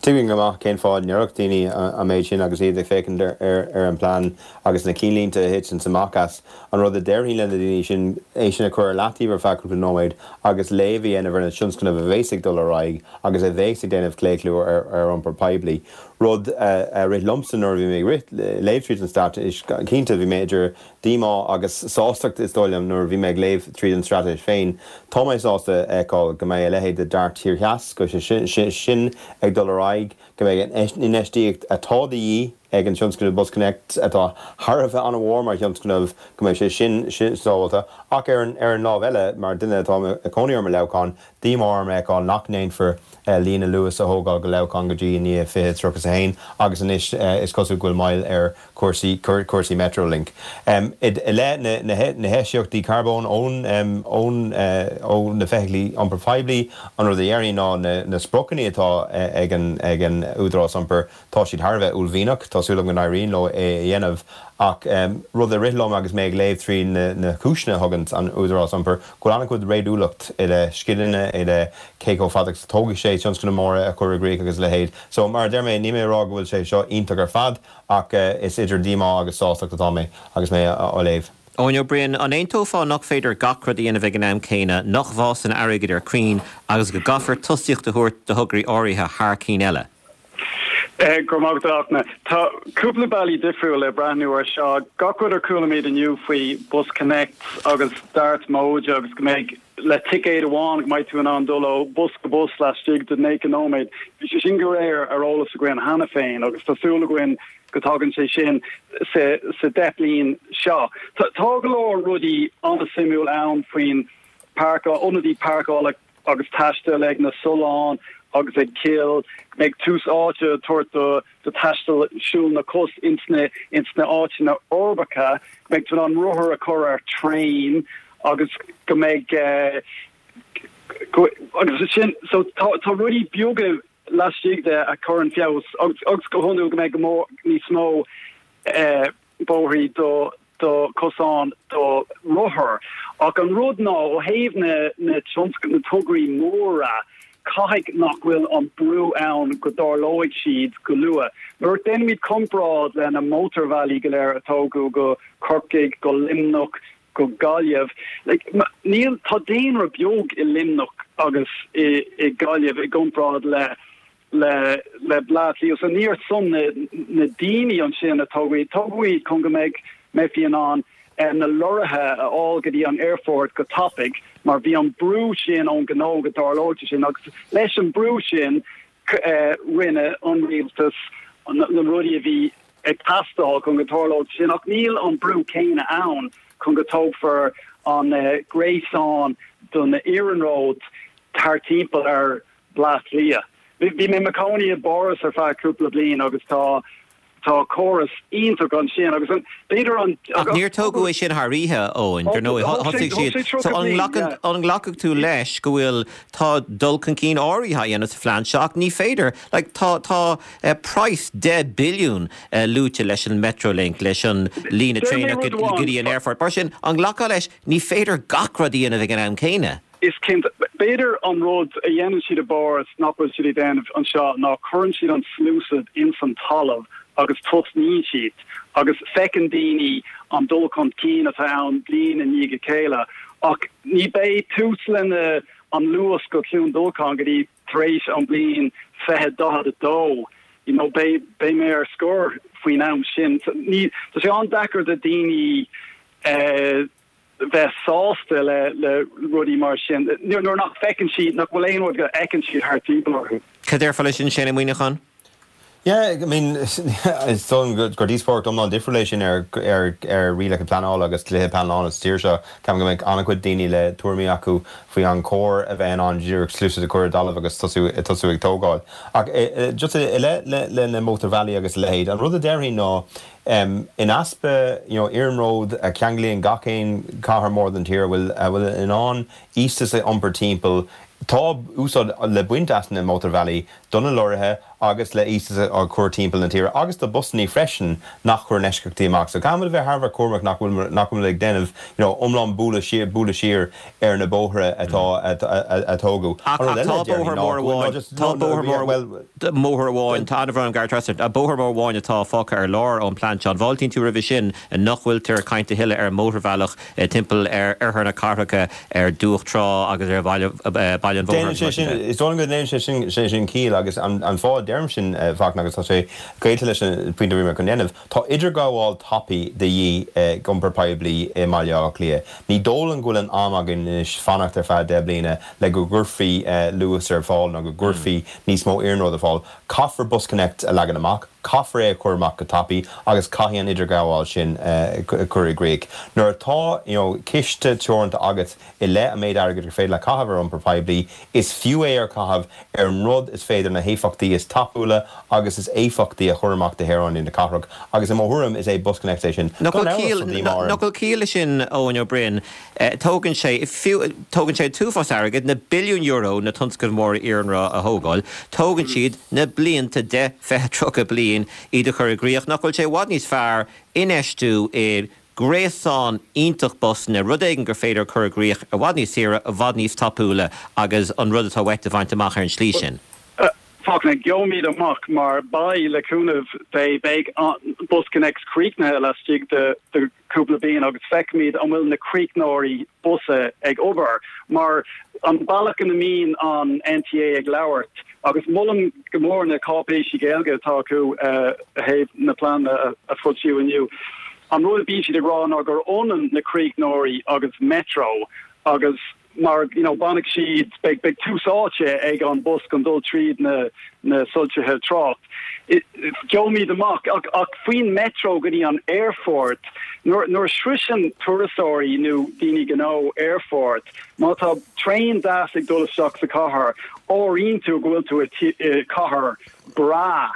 Tuigim go maith cén fáth a ndéarfadh daoine an méid sin agus iad ag féachaint ar an bplean agus na cinnlínte a thiteann amach as. An rud a déarfainn le na daoine sin é sin a chur ar leataobh ar feadh cúpla nóiméad agus léamh a dhéanamh ar na tionscnaimh a bheas ag dul ar aghaidh agus a bheas ag déanamh claochlú ar iompar poiblí. Rud a rith liomsa nuair a bhí mé ag léamh tríd an straitéis, cinnte bhí mé idir díomá agus sástacht is dóigh liom nuair a bhí mé ag léamh tríd an straitéis féin. Tá mé sásta a fheiceáil go mbeidh a leithéid de Dart Thiar Theas, go sé sin ag dul ar aghaidh, go mbeidh an infheistíocht atá de dhíth ag an tionscnamh BusConnects, atá thar a bheith an-mhór mar thionscnamh, go mbeidh sé sin sábháilte. Ach ar an lámh eile, mar duine atá ag cónaí orm i Leamhcán, díomá orm a fheiceáil nach ndéanfar líne Luas a thógáil go Leamhcán go dtí i ndiaidh fiche tríocha is a haon agus anois is cosúil go bhfuil moill ar chúrsaí cúrsaí Metrolink. I leith na heisíochtaí carbóin ón ón ó na feithiclí iompair phoiblí, an rud a dhéarfainn ná na spriocanna atá ag an ag an Údarás Iompair, tá siad thar a bheith uaillmhianach, tá súil agam go n-éiríonn leo é a dhéanamh. Ach rud a rith liom agus mé ag léamh trí na cúiseanna a thugann an Údarás Iompair, go bhfuil an-chuid réadúlacht i leith scileanna, i leith cé chomh fada agus a tógfaidh sé tionscnamh móra a chur i gcrích agus a leithéid. So, mar a deir mé, níl mé ag rá go bhfuil sé seo iontach ar fad, ach is idir díomá agus sástacht atá mé agus mé á léamh. Eoin Ó Broin, an aontófá nach féidir gach rud a dhéanamh ag an am céanna, nach bhfásann airgead ar chrainn agus go gcaithfear tosaíocht a thabhairt do thograí áirithe thar cinn eile? Go raibh maith agat, a Fhachtna. Tá cúpla bealaí difriúil le breathnú ar seo. Gach rud ar chualaimid inniu faoi BusConnects agus Dart móide agus go mbeidh le ticéad amháin go mbeidh tú in ann dul ó bus go bus laistigh de naocha nóiméad. Bhí sé sin go léir ar eolas againn cheana féin agus tá súil againn go dtagann sé sin sa sa deich bliain seo. Tá go leor rudaí an-suimiúil ann faoin páirceáil, ionadaí páirceála agus taisteal ag na sulláin agus ag cill, go mbeidh tús áite á tabhairt do do taisteal siúl na cos ins na ins na áiteanna uirbeacha, go mbeidh tú in ann rothar a chur ar traein agus go mbeidh eh, go, agus sin so tá tá rudaí beaga laistigh de a chuireann feabhas agus agus go hiondúil go mbeidh go mór níos mó eh, bóithrí do do cosán do rothar. Ach an rud ná ó thaobh na na tionsc na tograí móra caithfidh nach bhfuil an brú ann go dtarlóidh siad go luath. Nuair a déanaimid comparáid le na mótarbhealaí go léir a tógadh go Corcaigh, go Luimneach, go Gaillimh, like, níl tá daonra beag i Luimneach agus i, i Gaillimh i gcomparáid le le le Bleá Cliath. So ní ar son na, na daoine ansin a tógadh iad. Tógadh iad chun go mbeidh mbeifí in ann eh, na lorraithe a fháil go dtí an aerfort go tapaidh mar bhí an brú sin ón gnó go dtarlódh sé sin agus leis an brú sin eh, rinne an rialtas na, na rudaí a bhí ag teastáil chun go dtarlódh sin ach níl an brú céanna ann chun go dtógfar an uh, gréasán don iarnród thar timpeall ar Bleá Cliath. Bhí mé i mo chónaí i bPáras ar feadh cúpla bliain agus tá tá córas iontach ansin agus an b'fhéidir an Ach níor tógadh é sin thar oíche Eoin, dar ndóigh thosaigh siad so an nglacann an nglacfaidh tú leis go bhfuil tá dul chun cinn áirithe á dhéanamh sa phlean seo ach ní féidir like, tá tá uh, praghas deich billiún uh, luaite leis an Metrolink leis an líne traenach go go dtí an aerfort. Mar sin an nglacfá leis ní féidir gach rud a dhéanamh ag an am céanna. Is cinnte b'fhéidir an rud a dhéanann siad i bPáras nach bhfuil siad ag déanamh anseo ná cuireann siad an sluasaid ins an talamh agus tosnaíonn siad agus feiceann daoine an dul chun cinn atá ann bliain i ndiaidh a chéile ach ní beidh tús lena an luas go Cluain Dolcáin go dtí tar éis an bliain fiche daichead a dó. You know, beidh beidh mé ar scor faoin am sin. Ní tá sé an-deacair do daoine eh, bheith sásta le le rudaí mar sin. Nuair nach bhfeiceann siad nach bhfuil aon rud go fheiceann siad thart timpeall orthu. Cad déarfá leis sin Shane Ó Muimhneacháin? Yeah, I mean is dóigh liom gur díospóireacht iomlán difriúil é sin ar ar ar rialacha pleanála agus dlíthe pleanála sa tír seo. Ceapaim go mbeidh an-chuid daoine le tuairimí acu faoi an cóir a bheith in ann díreach sluasaid a chur i dtalamh agus tosú tosú ag tógáil. Ach just i leith le le na mótarbhealaí agus a leithéid, an rud a déarfainn ná um, in easpa you know, iarnród a cheanglaíonn gach aon cathair mór den tír bhfuil a bhfuil in ann iosta a iompar timpeall Tá úsáid le baint as na mótarbhealaí do na lorraithe agus le iosta a chur timpeall na tíre agus do busanna freisin nach chuir eisceachtaí amach. So caithfimid a bheith thar a bheith cúramach nach bhfuil nach bhfuil ag déanamh you know, iomlán bualadh siar bualadh siar ar na bóithre atá a tógadh. Ach tá bóthar mór amháin tá bóthar mór bóthar amháin tá an gar a bóthar mór amháin atá fágtha ar lár ón plean seo. An bhfáiltíonn tú roimhe sin nach bhfuiltear ag caint a thuilleadh ar mótarbhealach timpeall ar oirthear na cathracha ar Dumhach Trá agus ar bhaile baile an Déanann sé sin is dóigh go ndéanann sé sin sé sin ciall agus an an fáth a deirim sin Fachtna agus tá sé gaolta leis an pointe a bhí mé chun déanamh. Tá idirghabháil tapaidh de dhíth ag iompar poiblí i mBaile Átha Cliath. Ní dóigh liom go bhfuil an am againn anois fanacht ar feadh deich bliana le go gcuirfí luas ar fáil nó go gcuirfí níos mó iarnród ar fáil. Caithfear BusConnects a leagan amach, caithfear é a chur amach go tapaidh agus caithfidh an idirghabháil sin cur i gcrích. Nuair atá you know, ciste teoranta agat i leith an méid airgid gur féidir le caitheamh ar iompar poiblí, is fiú é a chaitheamh ar an rud is féidir na héifeachtaí is tapúla agus is éifeachtaí a chur amach do shaoránaigh na cathrach agus i mo thuairim is é BusConnects é sin. Nach bhfuil ciall leis sin Eoin Ó Broin, tógann sé fiú tógann sé an t-uafás airgid na billiúin euro na tionscnaimh mhóra iarnróid a thógáil, tógann siad na blianta deich, fiche, tríocha bliain iad a chur i gcrích. Nach bhfuil sé i bhfad níos fearr infheistiú i gréasán iontach busanna, rud éigin gur féidir cur i gcrích i bhfad níos saoire, i bhfad níos tapúla agus an rud atá uait a bhaint amach ar an slí sin. Fachtna, gheobhaimid amach mar beidh le cúnamh Dé beidh BusConnects críochnaithe laistigh de de cúpla bliain agus feicfimid an bhfuil na críochnóirí busa ag obair mar an bealach ina mbíonn an NTA ag labhairt agus molaim go mór na cáipéisí Gaeilge atá acu i dtaobh na pleananna a foilsíodh inniu. An rud a bíonn siad ag rá ná gur ionann na críochnóirí agus Metro agus mar you know bainfidh siad beidh beidh tús áite ag an bus chun dul tríd na na soilsithe trácht. Gheobhaimid amach ach ach faoin metro go dtí an airport nuair nuair a shroiseann turasóirí nó daoine gnó airport má tá traein deas ag dul isteach sa chathair airíonn tú go bhfuil tú i cathair breá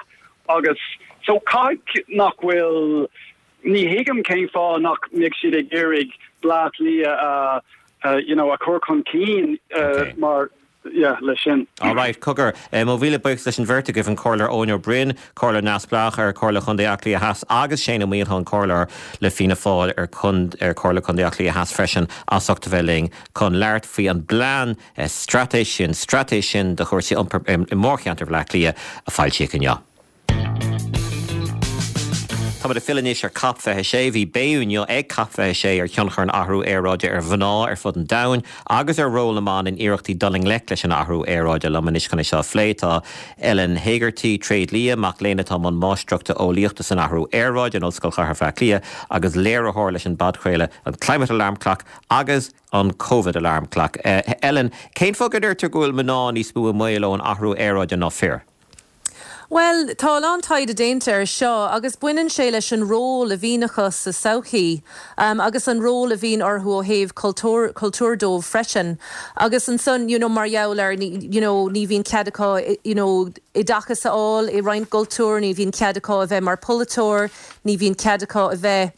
agus so caithfidh nach bhfuil ní thuigim cén fáth nach mbeidh siad ag iarraidh Bleá Cliath a uh, you know a chur chun cinn uh, okay. mar yeah, leis sin. All right, cogar eh, mo mhíle buíochas leis an bheirt agaibh an Comhairleoir Eoin Ó Broin, Comhairleoir Neamhspleách ar Chomhairle Chontae Átha Cliath Theas agus Shane Ó Maolchatháin Comhairleoir le Fianna Fáil ar ar Chomhairle Chontae Átha Cliath Theas freisin as ucht a bheith linn chun labhairt faoi an bplean eh, straitéis sin straitéis sin do chúrsaí iompair i mórcheantar Bhaile Átha Cliath a foilsíodh inniu. Tá ag filleadh anois ar COP fiche sé bhí béim inniu ag COP fiche sé ar thionchar an athrú aeráide ar mhná ar fud an domhain agus ar ról na mban in iarrachtaí dul i ngleic leis an athrú aeráide liom anois chun é seo a phlé tá Ellen Hegarty tréidlia mac léinn atá i mbun máistreachta eolaíochta san athrú aeráide in Ollscoil Chathair Bhaile Átha Cliath agus léiritheoir leis an bpodchraoladh an Climate Alarm Clock agus an COVID Alarm Clock. Uh, Ellen, cén fáth go deirtear go bhfuil mná níos mó i mbaol ón athrú aeráide ná fir? Well, tá an taighde déanta ar seo agus baineann sé leis an ról a bhíonn acu sa tsochaí um, agus an ról a bhíonn orthu ó thaobh cultúr cultúr dóibh freisin. Agus ansan you know, mar gheall ar you know, ní bhíonn cead acu you know, oideachas a fháil i roinnt cultúr, ní bhíonn cead acu a bheith mar pholaiteoir, ní bhíonn cead acu a bheith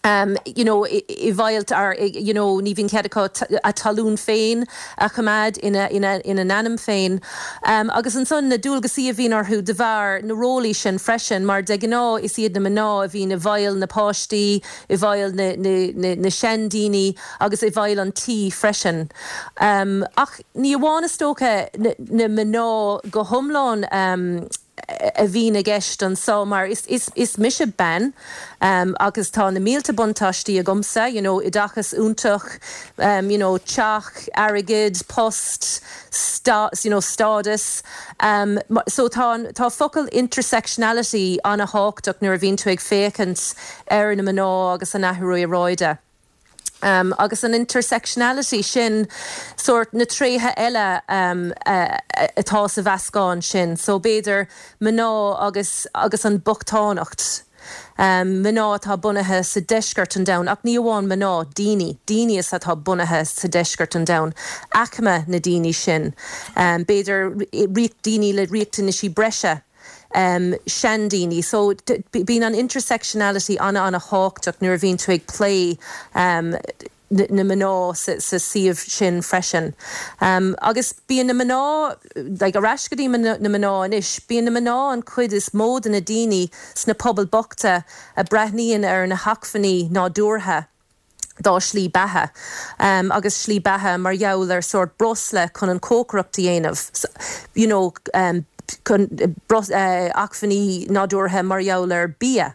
um, you know, i bhfeighil ar you know, ní bhíonn cead acu a dtalamh féin a choimeád ina, ina, ina n-ainm féin. Um, agus ansan na dualgaisí a bhíonn orthu de bharr na rólí sin freisin, mar de ghnáth is iad na mná a bhíonn i bhfeighil na páistí, i bhfeighil na, na, na, na seandaoine agus i bhfeighil an tí freisin. Um, ach ní amháin is dócha na, na mná go hiomlán um, a bhíonn i gceist anseo mar is, is, is mise bean um, agus tá na mílte buntáistí agamsa, you know, oideachas iontach, um, you know, teach, airgead, post, sta, you know, stádas. Um, so tá, tá focal intersectionality an-tábhachtach nuair a bhíonn tú ag féachaint ar na mná agus an athrú aeráide. Um, agus an intersectionality sin sórt na tréithe eile um, uh, atá sa mheascán sin, so b'fhéidir mná agus, agus an bochtaineacht. Um, mná atá bunaithe sa deisceart an domhain, ach ní amháin mná daoine, daoine is atá bunaithe sa deisceart an domhain, aicme na daoine sin. Um, b'fhéidir daoine le riachtanaisí breise. Um, seandaoine, so bíonn an intersectionality an an-tábhachtach nuair a bhíonn tú ag plé um, na mná sa, sa suíomh sin freisin. Um, agus bíonn na mná like, ar ais go dtí na mná anois, bíonn na mná an chuid is mó de na daoine sna pobail bochta a breathnaíonn ar na hacmhainní nádúrtha dá slí beatha um, agus slí beatha mar gheall ar sórt breosla chun an cócaireacht a dhéanamh. You know, um, chun uh, acmhainní nádúrtha mar gheall ar bia.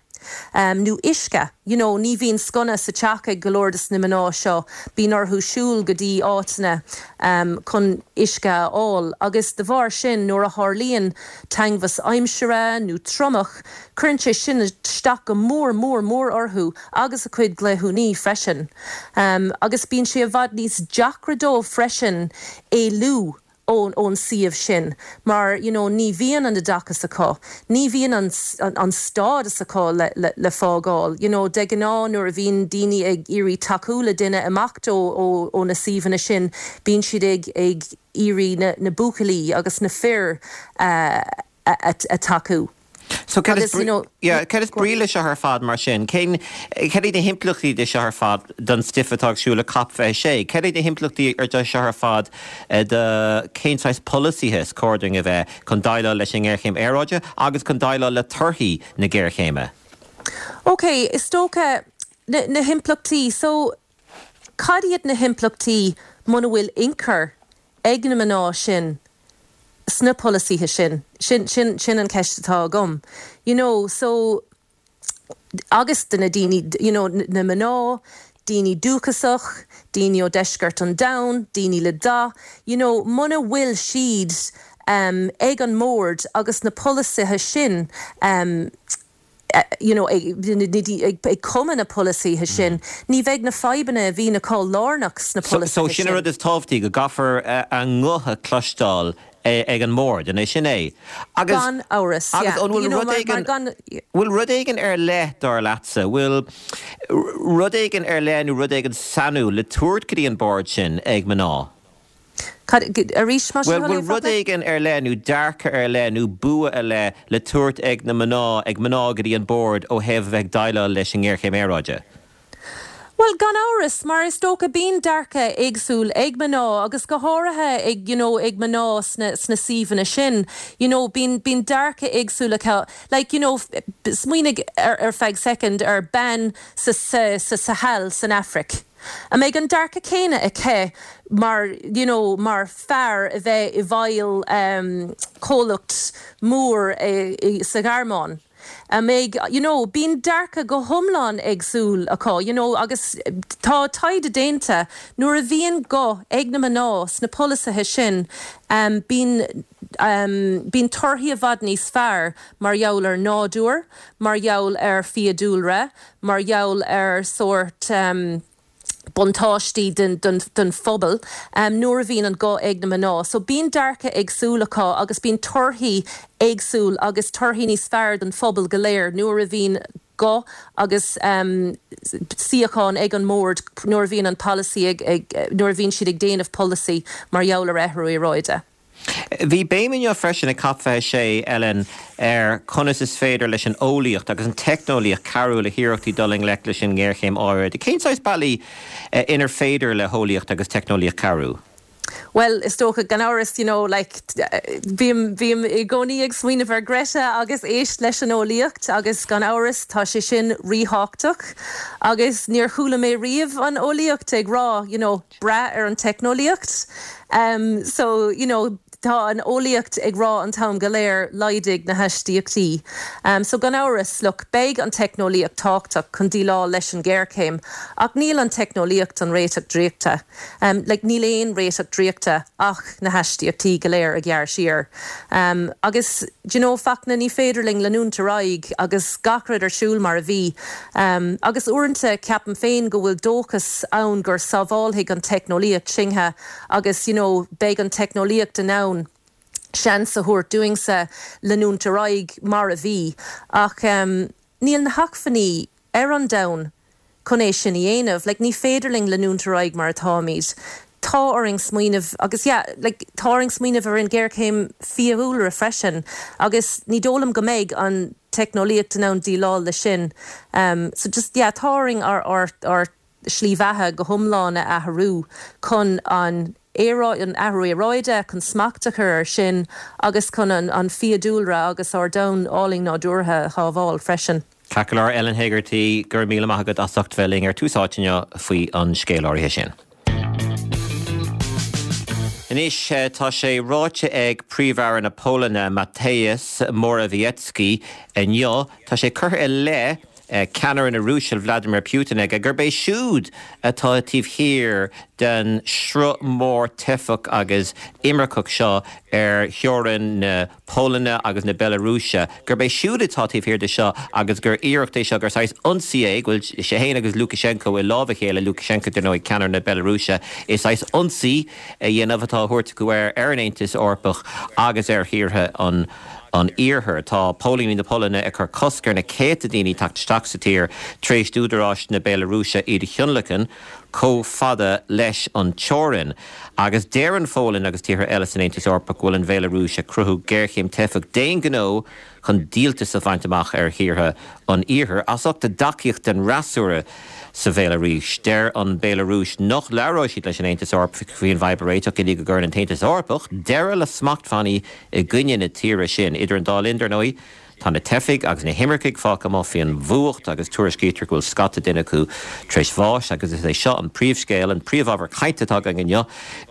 Um, nó uisce, you know, ní bhíonn sconna sa teach ag go leor de na mná seo, bíonn orthu siúl go dtí áiteanna um, chun uisce a fháil, agus de bharr sin nuair a tharlaíonn teagmhas aimsire nó triomach, cuireann sé sin isteach go mór mór mór orthu agus a cuid cleithiúnaí freisin. Um, agus bíonn sé i bhfad níos deacra dóibh freisin éalú ón ón suíomh sin mar you know, ní bhíonn an oideachas acu ní bhíonn an, an, an stádas acu le, le, le fágáil you know, de ghnáth nuair a bhíonn daoine ag iarraidh tacú le duine imeacht ó, ó, ó na suíomhanna sin bíonn siad ag ag iarraidh na, na buachaillí agus na fir uh, a, a, a tacú. So cad is brí leis seo ar fad mar sin, cén cad iad na himpleachtaí de seo ar fad don stuif atá ar siúl le COP fiche sé, Cad iad na himpleachtaí ar de seo ar fad eh, de cén saghas polasaithe is cóir dúinn a bheith chun déileáil leis an ngéarchéim aeráide agus chun déileáil le torthaí na géarchéime. Ok, is dócha na, na himpleachtaí, so cad iad na himpleachtaí muna bhfuil ionchur ag na mná sin sna polasaithe sin sin sin sin an ceist atá agam. You know, so agus de na daoine you know, na mná, daoine dúchasach, daoine ó deisceart an domhain, daoine le dath, you know, muna bhfuil siad um, ag an mbord agus na polasaithe sin um, you know, ag, ag cumadh na polasaithe sin, ní bheidh na fadhbanna a bhíonn acu lárnach sna polasaithe sin. So sin an rud is tábhachtaí, go gcaithfear a nguth a chloisteáil ag an mbord, an é sin é? Agus, Gan amhras, yeah. Agus an bhfuil rud éigin, bhfuil rud éigin ar leith, dar leatsa, bhfuil rud éigin ar leith nó rud éigin sainiúil le tabhairt go dtí an bord sin ag mná? Cad, arís, más Bhuel, bhfuil rud éigin ar leith nó dearcadh ar leith nó bua ar leith le tabhairt ag na mná, ag mná go dtí an bord ó thaobh a bheith ag déileáil leis an ngéarchéim aeráide? Bhuel, gan amhras, mar is dócha bíonn dearcadh éagsúil ag mná agus go háirithe ag, you know, ag mná sna, sna suíomhanna sin, you know, bíonn, bíonn dearcadh éagsúil acu. Like, you know, smaoinigh ar, ar feadh soicind ar bean sa, sa, sa Sahel san Afraic. An mbeidh an dearcadh céanna aici mar, you know, mar fear a bheith i bhfeighil um, comhlacht mór i, i, sa Ghearmáin? An mbeidh, you know, bíonn dearcadh go hiomlán éagsúil acu, you know, agus tá taighde déanta nuair a bhíonn guth ag na mná sna polasaithe sin, um, bíonn um, bíonn torthaí i bhfad níos fearr mar gheall ar nádúr, mar gheall ar fiadhúlra, mar gheall ar sórt um, buntáistí den, den, den phobal um, nuair a bhíonn an guth ag na mná. So bíonn dearcadh éagsúil acu agus bíonn torthaí éagsúil agus torthaí níos fearr don phobal go léir nuair a bhíonn guth agus um, suíochán ag an mbord nuair a bhíonn an polasaí ag, ag, nuair a bhíonn siad ag déanamh polasaí mar gheall ar athrú aeráide. Bhí béim inniu freisin ag COP fiche sé, Ellen, ar conas is féidir leis an eolaíocht agus an teicneolaíocht cabhrú le hiarrachtaí dul i ngleic leis an ngéarchéim aeráide. Cén saghas bealaí inar féidir le heolaíocht agus teicneolaíocht cabhrú? Bhuel, is dócha, gan amhras, you know, like, bím, bím i gcónaí ag smaoineamh ar Greta agus éist leis an eolaíocht agus gan amhras tá sé sin ríthábhachtach agus níor chuala mé riamh an eolaíocht ag rá, you know, brath ar an teicneolaíocht. Um, so, you know, tá an eolaíocht ag rá an t-am go léir laghdaigh na hastaíochtaí. Um, so gan amhras, look, beidh an teicneolaíocht tábhachtach chun déileáil leis an géarchéim, ach níl an teicneolaíocht an réiteach draíochta. Um, like, níl aon réiteach draíochta ach na hastaíochtaí go léir a ghearradh siar. Um, agus do you know, Fachtna ní féidir linn leanúint ar aghaidh agus gach rud ar siúl mar a bhí. Um, agus uaireanta ceapaim féin go bhfuil dóchas ann gur sábhálfaidh an teicneolaíocht sinne agus you know, beidh an teicneolaíocht in ann seans a thabhairt dúinnse leanúint ar aghaidh mar a bhí ach um, níl na hacmhainní ar an domhan chun é sin a dhéanamh, like, ní féidir linn leanúint ar aghaidh mar atáimid. Tá orainn smaoineamh agus yeah, like, tá orainn smaoineamh ar an géarchéim fiadhúlra freisin agus ní dóigh liom go mbeidh an teicneolaíocht in ann déileáil leis sin. Um, so just yeah, tá orainn ár, ár, ár slí bheatha go hiomlán a athrú chun an an athrú aeráide chun smacht a chur air sin agus chun an, an fiadhúlra agus ár domhan álainn nádúrtha a shábháil freisin. Ceart go leor Ellen Hegarty, go raibh míle maith agat as ucht bheith linn ar Tús Áite inniu faoi an scéal áirithe sin. Anois tá sé ráite ag Príomh-Aire na Polainne Mateusz Morawiecki inniu, tá sé curtha i leith ceannaire na Rúise Vladimir Putin aige gurb é siúd atá taobh thiar den sruth mór teifeach agus imirceach seo ar theorainn na Polainne agus na Bealarúise, gurb é siúd atá taobh thiar de seo agus gur iarracht é seo gur saghas ionsaí é, go bhfuil sé féin agus Lukashenko i lámh a chéile, Lukashenko dar ndóigh ceannaire na Bealarúise, is saghas ionsaí a dhéanamh atá á thabhairt acu air ar an Aontas Eorpach agus ar thíortha an an Iarthair. Tá póilíní na Polainne ag cur cosc ar na céadta daoine teacht isteach sa tír tar éis d'údaráis na Béalarúise iad a thionlacan chomh fada leis an teorainn. Agus deir an Pholainn agus tíortha eile san Aontas Eorpach go bhfuil an Bhéalarúis ag cruthú géarchéim teifeach d'aon ghnó chun díoltas a bhaint amach ar thíortha an Iarthair as ucht a dtacaíocht den fhreasúra sa Bhéalarúis. Deir an Bhéalarúis nach labhróidh siad leis an Aontas Eorpach faoin bhfadhb a réiteach go dtí go gcuireann an tAontas Eorpach deireadh le smachtbhannaí i gcoinne na tíre sin. Idir an dá linn, dar ndóigh, tá na teifigh agus na himircigh fágtha amuigh faoin bhfuacht agus tuairiscítear go bhfuil scata duine acu tar éis bháis agus is é seo an príomhscéal, an príomhábhar cainte atá againn inniu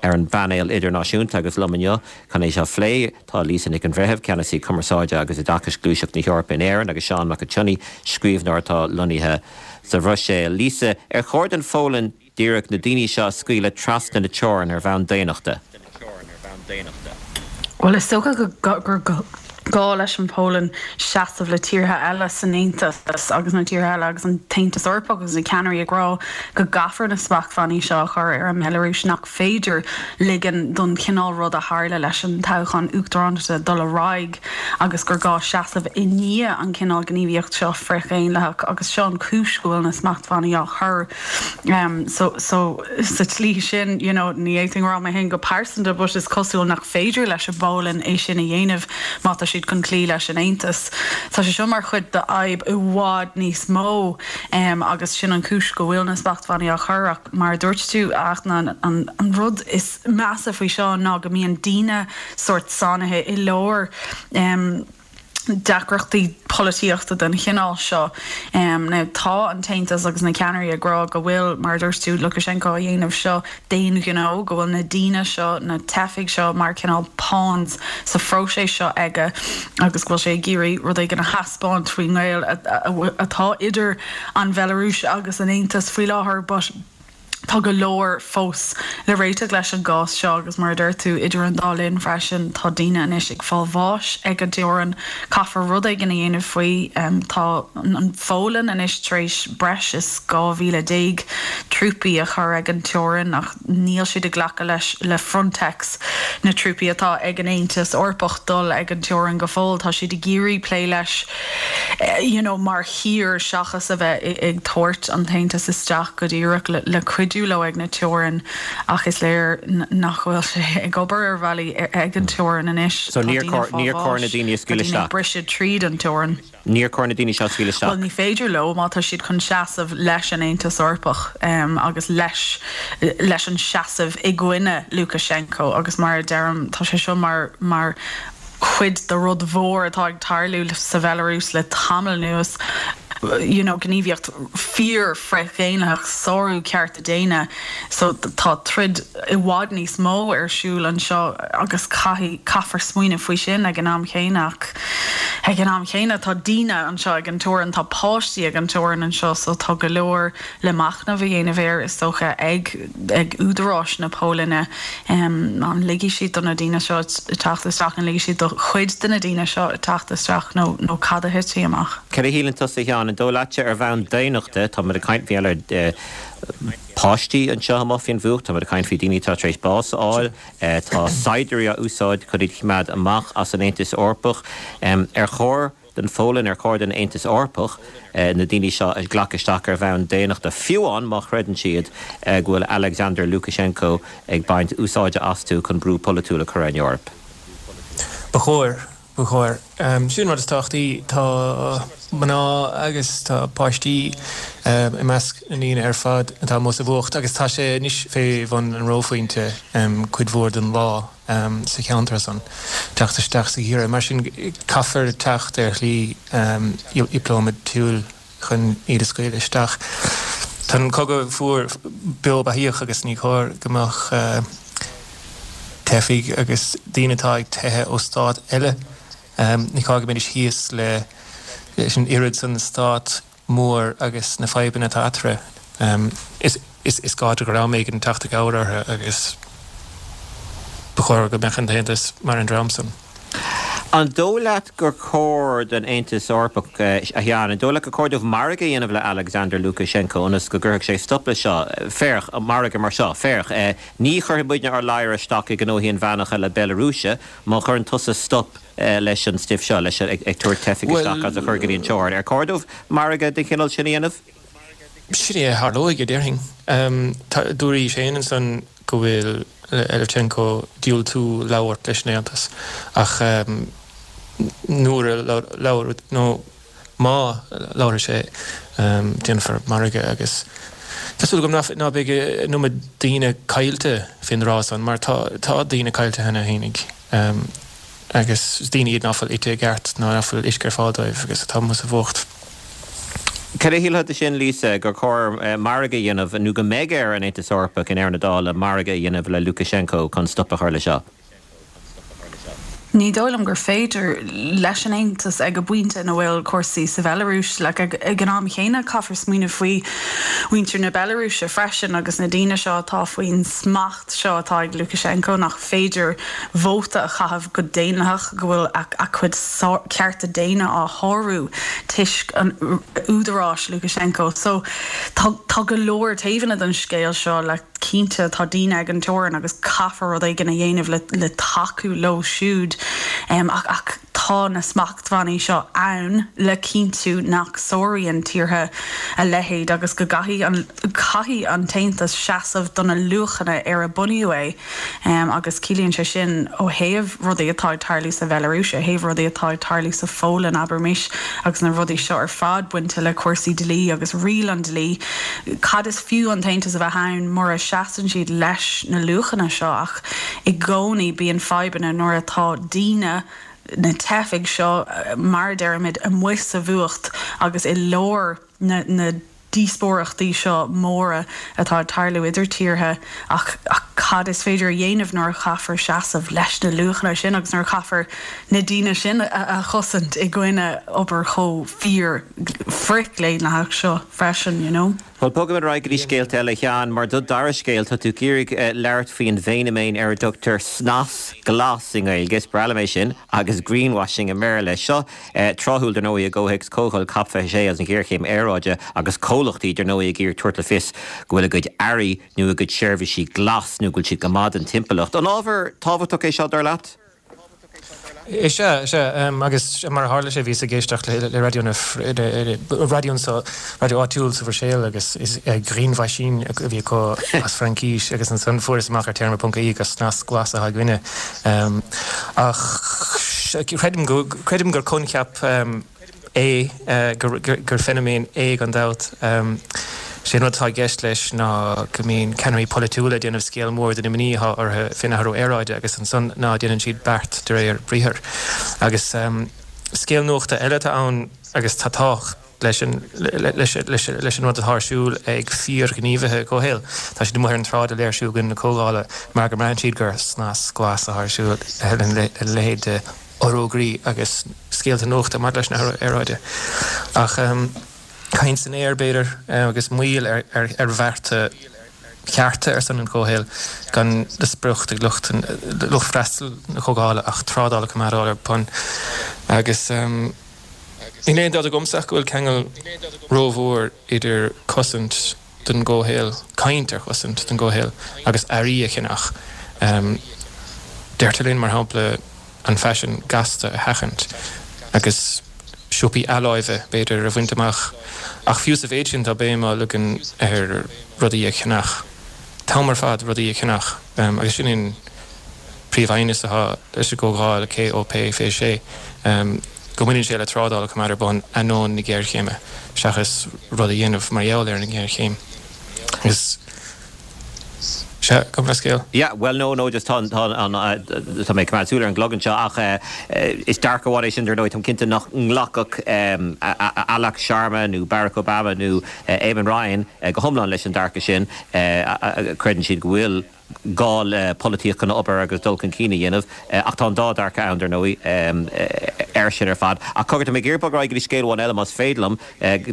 ar an bpainéal idirnáisiúnta agus liom inniu chun é seo a phlé tá Lisa Nic an Bhreithimh, Ceannasaí Cumarsáide agus Oideachais Gluaiseacht na hEorpa in Éirinn agus Seán Mac an tSionnaigh, scríbhneoir atá lonnaithe sa Bhruiséil. Lisa, ar chóir don Pholainn díreach na daoine seo a scaoileadh trasna na teorann ar bhonn daonnachta? Bhuel, is dócha gur gá leis an Pholainn seasamh le tíortha eile san Aontas agus na tíortha eile agus an tAontas Eorpach agus na ceannairí ag rá go gcaithfear na smachtbhannaí seo a chur ar an mBealarúis nach féidir ligean don chineál rud a tharla leis an toghchán uachtaránachta dul ar aghaidh agus gur gá seasamh i ndiaidh an cineál gníomhaíocht seo frithdhaonlathach agus seo an chúis go bhfuil na smachtbhannaí á chur um, so, so sa tslí sin you know, ní fhéadfainn rá mé féin go pearsanta but is cosúil nach féidir leis an bPolainn é sin a dhéanamh má tá siad chun cloí leis an Aontas. Tá sé seo mar chuid de fhadhb i bhfad níos mó um, agus sin an chúis go bhfuil na smachtbhannaí á chur ach mar dúirt tú ach an, an, an rud is measa faoi seo ná go mbíonn daoine sórt sáinnithe i lár um, deacrachtaí polaitíochta den chineál seo. Um, now, tá an tAontas agus na ceannairí ag rá go bhfuil mar dúirt tú Lukashenko a dhéanamh seo d'aon ghnó go bhfuil na daoine seo na teifigh seo mar cineál pawns sa phróiseas seo aige agus go bhfuil sé ag iarraidh rud éigin a thaispeáint faoin ngaol atá idir an Bhelarúis agus an Aontas faoi láthair, but Tá go leor fós le réiteach leis an gcás seo agus mar a deir tú idir an dá linn freisin tá daoine anois ag fáil bháis ag an teorainn. Caithfear rud éigin a dhéanamh faoi. Tá an Pholainn anois tar éis breis is dhá mhíle déag trúpaí a chur ag an teorainn ach níl siad ag glacadh leis le Frontex, na trúpaí atá ag an Aontas Eorpach dul ag an teorainn go fóill. Tá siad ag iarraidh plé leis you know mar thír seachas a bheith ag tabhairt an tAontas isteach go díreach le cuidiú leo ag na teorainn ach is léir nach bhfuil sé ag obair ar bhealaí ag an teorainn anois. So níor chóir na daoine a scaoileadh isteach? Briseadh tríd an teorainn. Níor chóir na daoine seo a scaoileadh isteach? Bhuel ní féidir leo má tá siad chun seasamh leis an Aontas Eorpach agus leis leis an seasamh i gcoinne Lukashenko agus mar a deirim tá sé seo mar mar cuid de rud mhór atá ag tarlú sa Bhelarúis le tamall anuas, you know, gníomhaíocht fíor frith-dhaonlathach, sárú cearta daonna. So tá troid i bhfad níos mó ar siúl anseo agus caithfidh, caithfear smaoineamh faoi sin ag an am chéanna ach ag an am chéanna tá daoine anseo ag an teorainn, tá páistí ag an teorainn anseo so tá go leor le machnamh a dhéanamh air is dócha ag ag údaráis na Polainne. An ligfidh siad do na daoine seo teacht isteach, an ligfidh siad do chuid de na daoine seo teacht isteach nó nó cad a thitfidh amach? Cad a shíleann tusa a Sheáin, an dóigh leatsa ar bhonn daonnachta, tá muid ag caint faoi eile páistí anseo amuigh faoin bhfuacht, tá muid ag caint faoi daoine atá tar éis bás a fháil, tá saighdiúirí á úsáid chun iad a choimeád amach as an Aontas Eorpach. Ar chóir don Pholainn, ar chóir don Aontas Eorpach na daoine seo a ghlacadh isteach ar bhonn daonnachta, fiú amháin má chreideann siad go bhfuil Alexander Lukashenko ag baint úsáide astu chun brú polaitiúil a chur ar an Eoraip? Ba chóir, ba chóir. Sin an rud is tábhachtaí. Tá mná agus tá páistí i measc na ndaoine ar fad atá amuigh sa bhfuacht agus tá sé anois fé bhun an reophointe cuid mhór den lá sa cheantar san, teacht isteach sa gheimhreadh. Mar sin, caithfear teacht ar shlí dhioplómaitiúil chun iad a scaoileadh isteach. Tá an cogadh fuar beo beathaíoch agus ní chóir go mbeadh teifigh agus daoine atá ag teitheadh ó stát eile, ní chóir go mbeidís thíos leis an oiread san stát mór agus na fadhbanna atá eatarthu. Is gá do dhream éigin teacht i gcabhair orthu agus ba chóir go mbeadh an tAontas mar an dream san. An dóigh leat gur chóir don Aontas Eorpach, a Sheáin, an dóigh leat gur chóir dóibh margadh a dhéanamh le Alexander Lukashenko ionas go gcuirfeadh sé stop leis seo? Féach, margadh mar seo, féach, ní chuirfidh muidne ár ladhar isteach i ngnóthaí inmheánacha na Bealarúise má chuireann tusa stop leis an stuif seo, leis ag tabhairt teifigh isteach agus a chur go dtí an teorainn. Ar chóir dóibh margadh den chineál sin a dhéanamh? Sin é a tharlóidh, a déarfainn. Dúraís féin ansan go bhfuil Lukashenko diúltú labhairt leis an Aontas ach nuair a labhróidh, nó má labhróidh sé, déanfar margadh agus tá súil agam ná beidh an iomad daoine caillte fén dtráth san mar tá daoine caillte cheana fhéinig. Agus is daoine iad ná fuil ite i gceart ná ná fuil uisce ar fáil dóibh agus atá amuigh sa bhfuacht. Cad a shílfeá de sin, Lisa, gur chóir margadh a dhéanamh, nó go mbeidh ar an Aontas Eorpach i ndeireadh na dála margadh a dhéanamh le Lukashenko chun stop a chur leis seo? Ní dóigh liom gur féidir leis an Aontas ag an bpointe ina bhfuil cúrsaí sa Bhealarúis like, ag, ag an am chéanna caithfear smaoineamh faoi mhuintir na Bealarúise freisin agus na daoine seo atá faoin smacht seo atá ag Lukashenko nach féidir vóta a chaitheamh go daonlathach go bhfuil a, a chuid cearta daonna á shárú toisc an údaráis Lukashenko. So tá, tá go leor taobhanna den scéal seo le cinnte tá daoine ag an teorainn agus caithfear rud éigin a dhéanamh le, le tacú leo siúd um, ach, ach tá na smachtbhannaí seo ann le cinntiú nach sáraíonn tíortha a leithéid agus go gcaithfidh an caithfidh an tAontas seasamh do na luachanna ar a bunaíodh é um, agus ciallaíonn sé sin ó thaobh rudaí atá ag tarlú sa Bhealarúis, ó thaobh rudaí atá ag tarlú sa Pholainn abraimis agus na rudaí seo ar fad bainte le cúrsaí dlí agus riail an dlí. Cad is fiú an tAontas a bheith ann mura seasann siad leis na luachanna seo ach i gcónaí bíonn fadhbanna nuair atá daoine na teifigh seo mar deirimid amuigh sa bhfuacht agus i lár na, na díospóireachtaí seo móra atá ag tarlú idir tíortha ach, ach cad is féidir a dhéanamh nuair a chaithfear seasamh leis na luachanna sin agus nuair a chaithfear na daoine sin a, a chosaint i gcoinne obair chomh fíor frithdhaonlathach seo freisin, you know. Well bogfaimid ar aghaidh go dtí scéalta eile Sheáin, mar do dara scéal tá tú ag iarraidh uh, labhairt faoin bhfeiniméan ar a dtugtar snas glas i nGaeilge, is breá liom é sin agus greenwashing i mBéarla. Seo uh, tráthúil dar ndóigh i gcomhthéacs comhdháil COP fiche sé agus an ghéarchéim aeráide agus comhlachtaí dar ndóigh ag iarraidh tabhairt le fios go bhfuil a gcuid earraí nó a gcuid seirbhísí glas nó go bhfuil siad go maith don timpeallacht. An ábhar tábhachtach é seo dar leat? Is ea is ea agus mar a tharla sé bhíos ag éisteacht le le raidió na raidió sa raidió áitiúil sa Bhruiséil agus is greenwashing a bhí acu as Fraincis agus ansan fuaireas amach ar téarma ponc ie gur snas glas atá againne. Ach creidim go creidim gur coincheap é gur gur feiniméan é gan dabht. Sé rud atá i gceist leis ná go mbíonn ceannairí polaitiúla ag déanamh scéal mór den imní atá orthu faoin athrú aeráide agus ansan ná déanann siad beart de réir briathar. Agus um, scéal nuachta eile atá ann agus tá tábhacht leis an leis leis leis an rud atá ar siúl ag fíorghníomhaithe comhshaoil. Tá siad amuigh ar an tsráid ag léirsiú i gcoinne na comhdhála mar go mbraitheann siad gur snas glas atá ar siúl le leithéid de fhorógraí agus scéalta nuachta maidir leis an athrú aeráide. Ach um, caint san aer b'fhéidir agus moill ar, ar, ar bhearta cearta ar son an chomhshaoil gan de sprioc ag lucht lucht freastal na comhdhála ach trádáil a choimeád ar bun. Agus um, níl aon dabht agamsa go bhfuil ceangal rómhór idir cosaint don gcomhshaol, caint ar chosaint don gcomhshaol agus earraí a cheannach. Um, Deirtear linn mar shampla an faisean gasta a sheachaint agus siopaí athláimhe b'fhéidir a bhaint amach ach fiú sa mhéid sin tá béim á leagan ar rudaí a cheannach. Tá ar fad rudaí a cheannach um, agus sin an príomhaidhm atá leis an gcomhdháil COP fiche sé um, go mbaineann sé le trádáil a choimeád ar bun ainneoin na géarchéime seachas rud a dhéanamh mar gheall ar an ngéarchéim. Agus Sea, gabh mo leithscéal. Yeah, well no no just tá tá an tá mé ag súil ar an gclog anseo ach is dearcadh amháin é sin dar ndóigh táim cinnte nach nglacfadh Alok Sharma nó Barack Obama nó Eamon Ryan go hiomlán leis an dearcadh sin creideann siad go bhfuil gá le polaitíocht chun obair agus dul chun cinn a dhéanamh ach tá an dá dearcadh ann dar ndóigh ar sin ar fad. Ach cogar tá mé ag iarraidh bogadh go dtí scéal amháin eile más féidir liom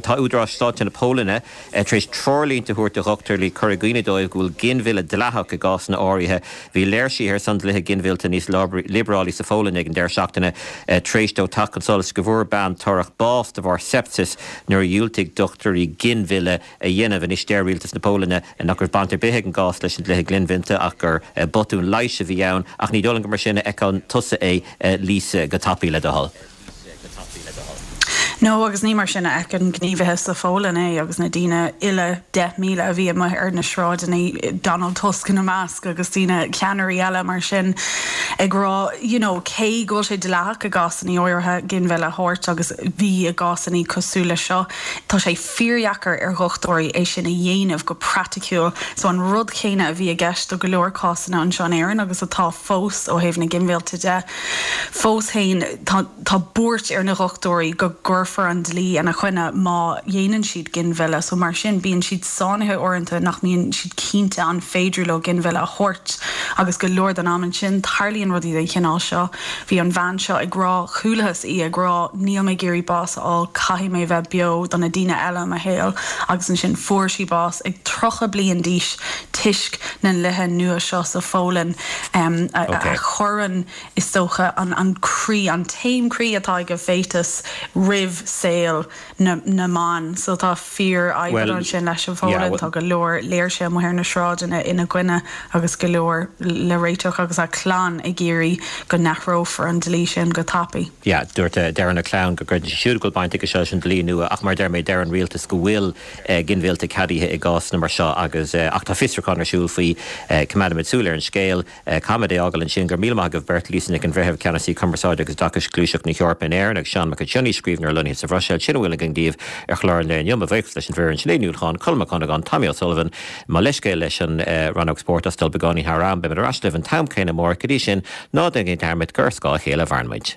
tá údaráis sláinte na Polainne tar éis treoirlínte a thabhairt do dhochtúirí le cur i gcuimhne dóibh go bhfuil ginmhilleadh dleathach i gcásanna áirithe. Bhí léirsithe ar son dlíthe ginmhillte níos liobrálaí sa Pholainn ag an deireadh seachtaine tar éis dó teacht chun solais go bhfuair bean torrach bás de bharr sepsis nuair a dhiúltaigh dochtúirí ginmhilleadh a dhéanamh. Anois deir rialtas na Polainne nach raibh baint ar bith ag an gcás leis an dlíthe ginmhillte ach gur botún leighis a bhí ann ach ní dóigh liom gur mar sin a fheiceann tusa é Lisa go tapaidh le do thoil. No agus ní mar sin a fheiceann gníomhaithe sa Pholainn é agus na daoine uile deich míle a bhí amuigh ar na sráideanna Donald Tusk ina measc agus daoine ceannairí eile mar sin ag rá you know, cé go bhfuil sé dleathach i gcásanna áirithe ginmhilleadh a thabhairt agus bhí i gcásanna cosúil le seo tá sé fíordheacair ar dhochtúirí é sin a dhéanamh go praiticiúil so an rud céanna a bhí i gceist do go leor cásanna anseo in Éirinn agus atá fós ó thaobh na ginmhillte de fós féin tá tá buairt ar na dhochtúirí go gcuirfear cuirfear an dlí ina choinne má dhéanann siad ginmhilleadh. So mar sin bíonn siad sáinnithe uaireanta nach mbíonn siad cinnte an féidir leo ginmhilleadh a thabhairt agus go leor den am ansin tarlaíonn rudaí den chineál seo. Bhí an bhean seo ag rá, chualathas í ag rá níl mé ag iarraidh bás a fháil, caithfidh mé bheith beo do na daoine eile i mo shaol agus ansin fuair sí bás ag tríocha bliain d'aois toisc na ndlíthe nua seo sa Pholainn a chuireann is dócha an croí, an taom croí atá ag an bhféatas roimh saol na na mban. So tá fíorfhadhb ansin leis an Pholainn, tá go leor léirsithe amuigh ar na sráideanna ina gcoinne agus go leor le réiteach agus a clann ag iarraidh go n-athrófar an dlí sin go tapaidh. Yeah, dúirt deireann a clann go gcreideann siad siúd go bhfuil baint aige seo leis an dlí nua ach mar a deir mé deir an rialtas go bhfuil ginmhilleadh ceadaithe i gcásanna mar seo agus ach tá fiosrúchán ar siúl faoi. Coimeádfaimid súil ar an scéal. Caithfimid é a fhágáil ansin. Go raibh míle maith agaibh beirt, Lisa Nic an Bhreithimh, Ceannasaí Cumarsáide agus Oideachais Gluaiseacht na hEorpa in Éirinn agus Seán Mac Sionnaigh, scríbhneoir lonnaithe sa Bhruiséil. Sin a bhfuil againn daoibh ar chlár an lae inniu. Mo bhuíochas leis an bhfoireann, Sinéad Ní Uallacháin, Colm Mac Cunagáin, Tommy O'Sullivan. Mo leithscéal leis an rannóg spóirt as dul beagáinín thar am. Beimid ar ais libh an t-am céanna amárach. Go dtí sin, ná déanaigí dearmad gur ar scáth a chéile a mhaireann muid.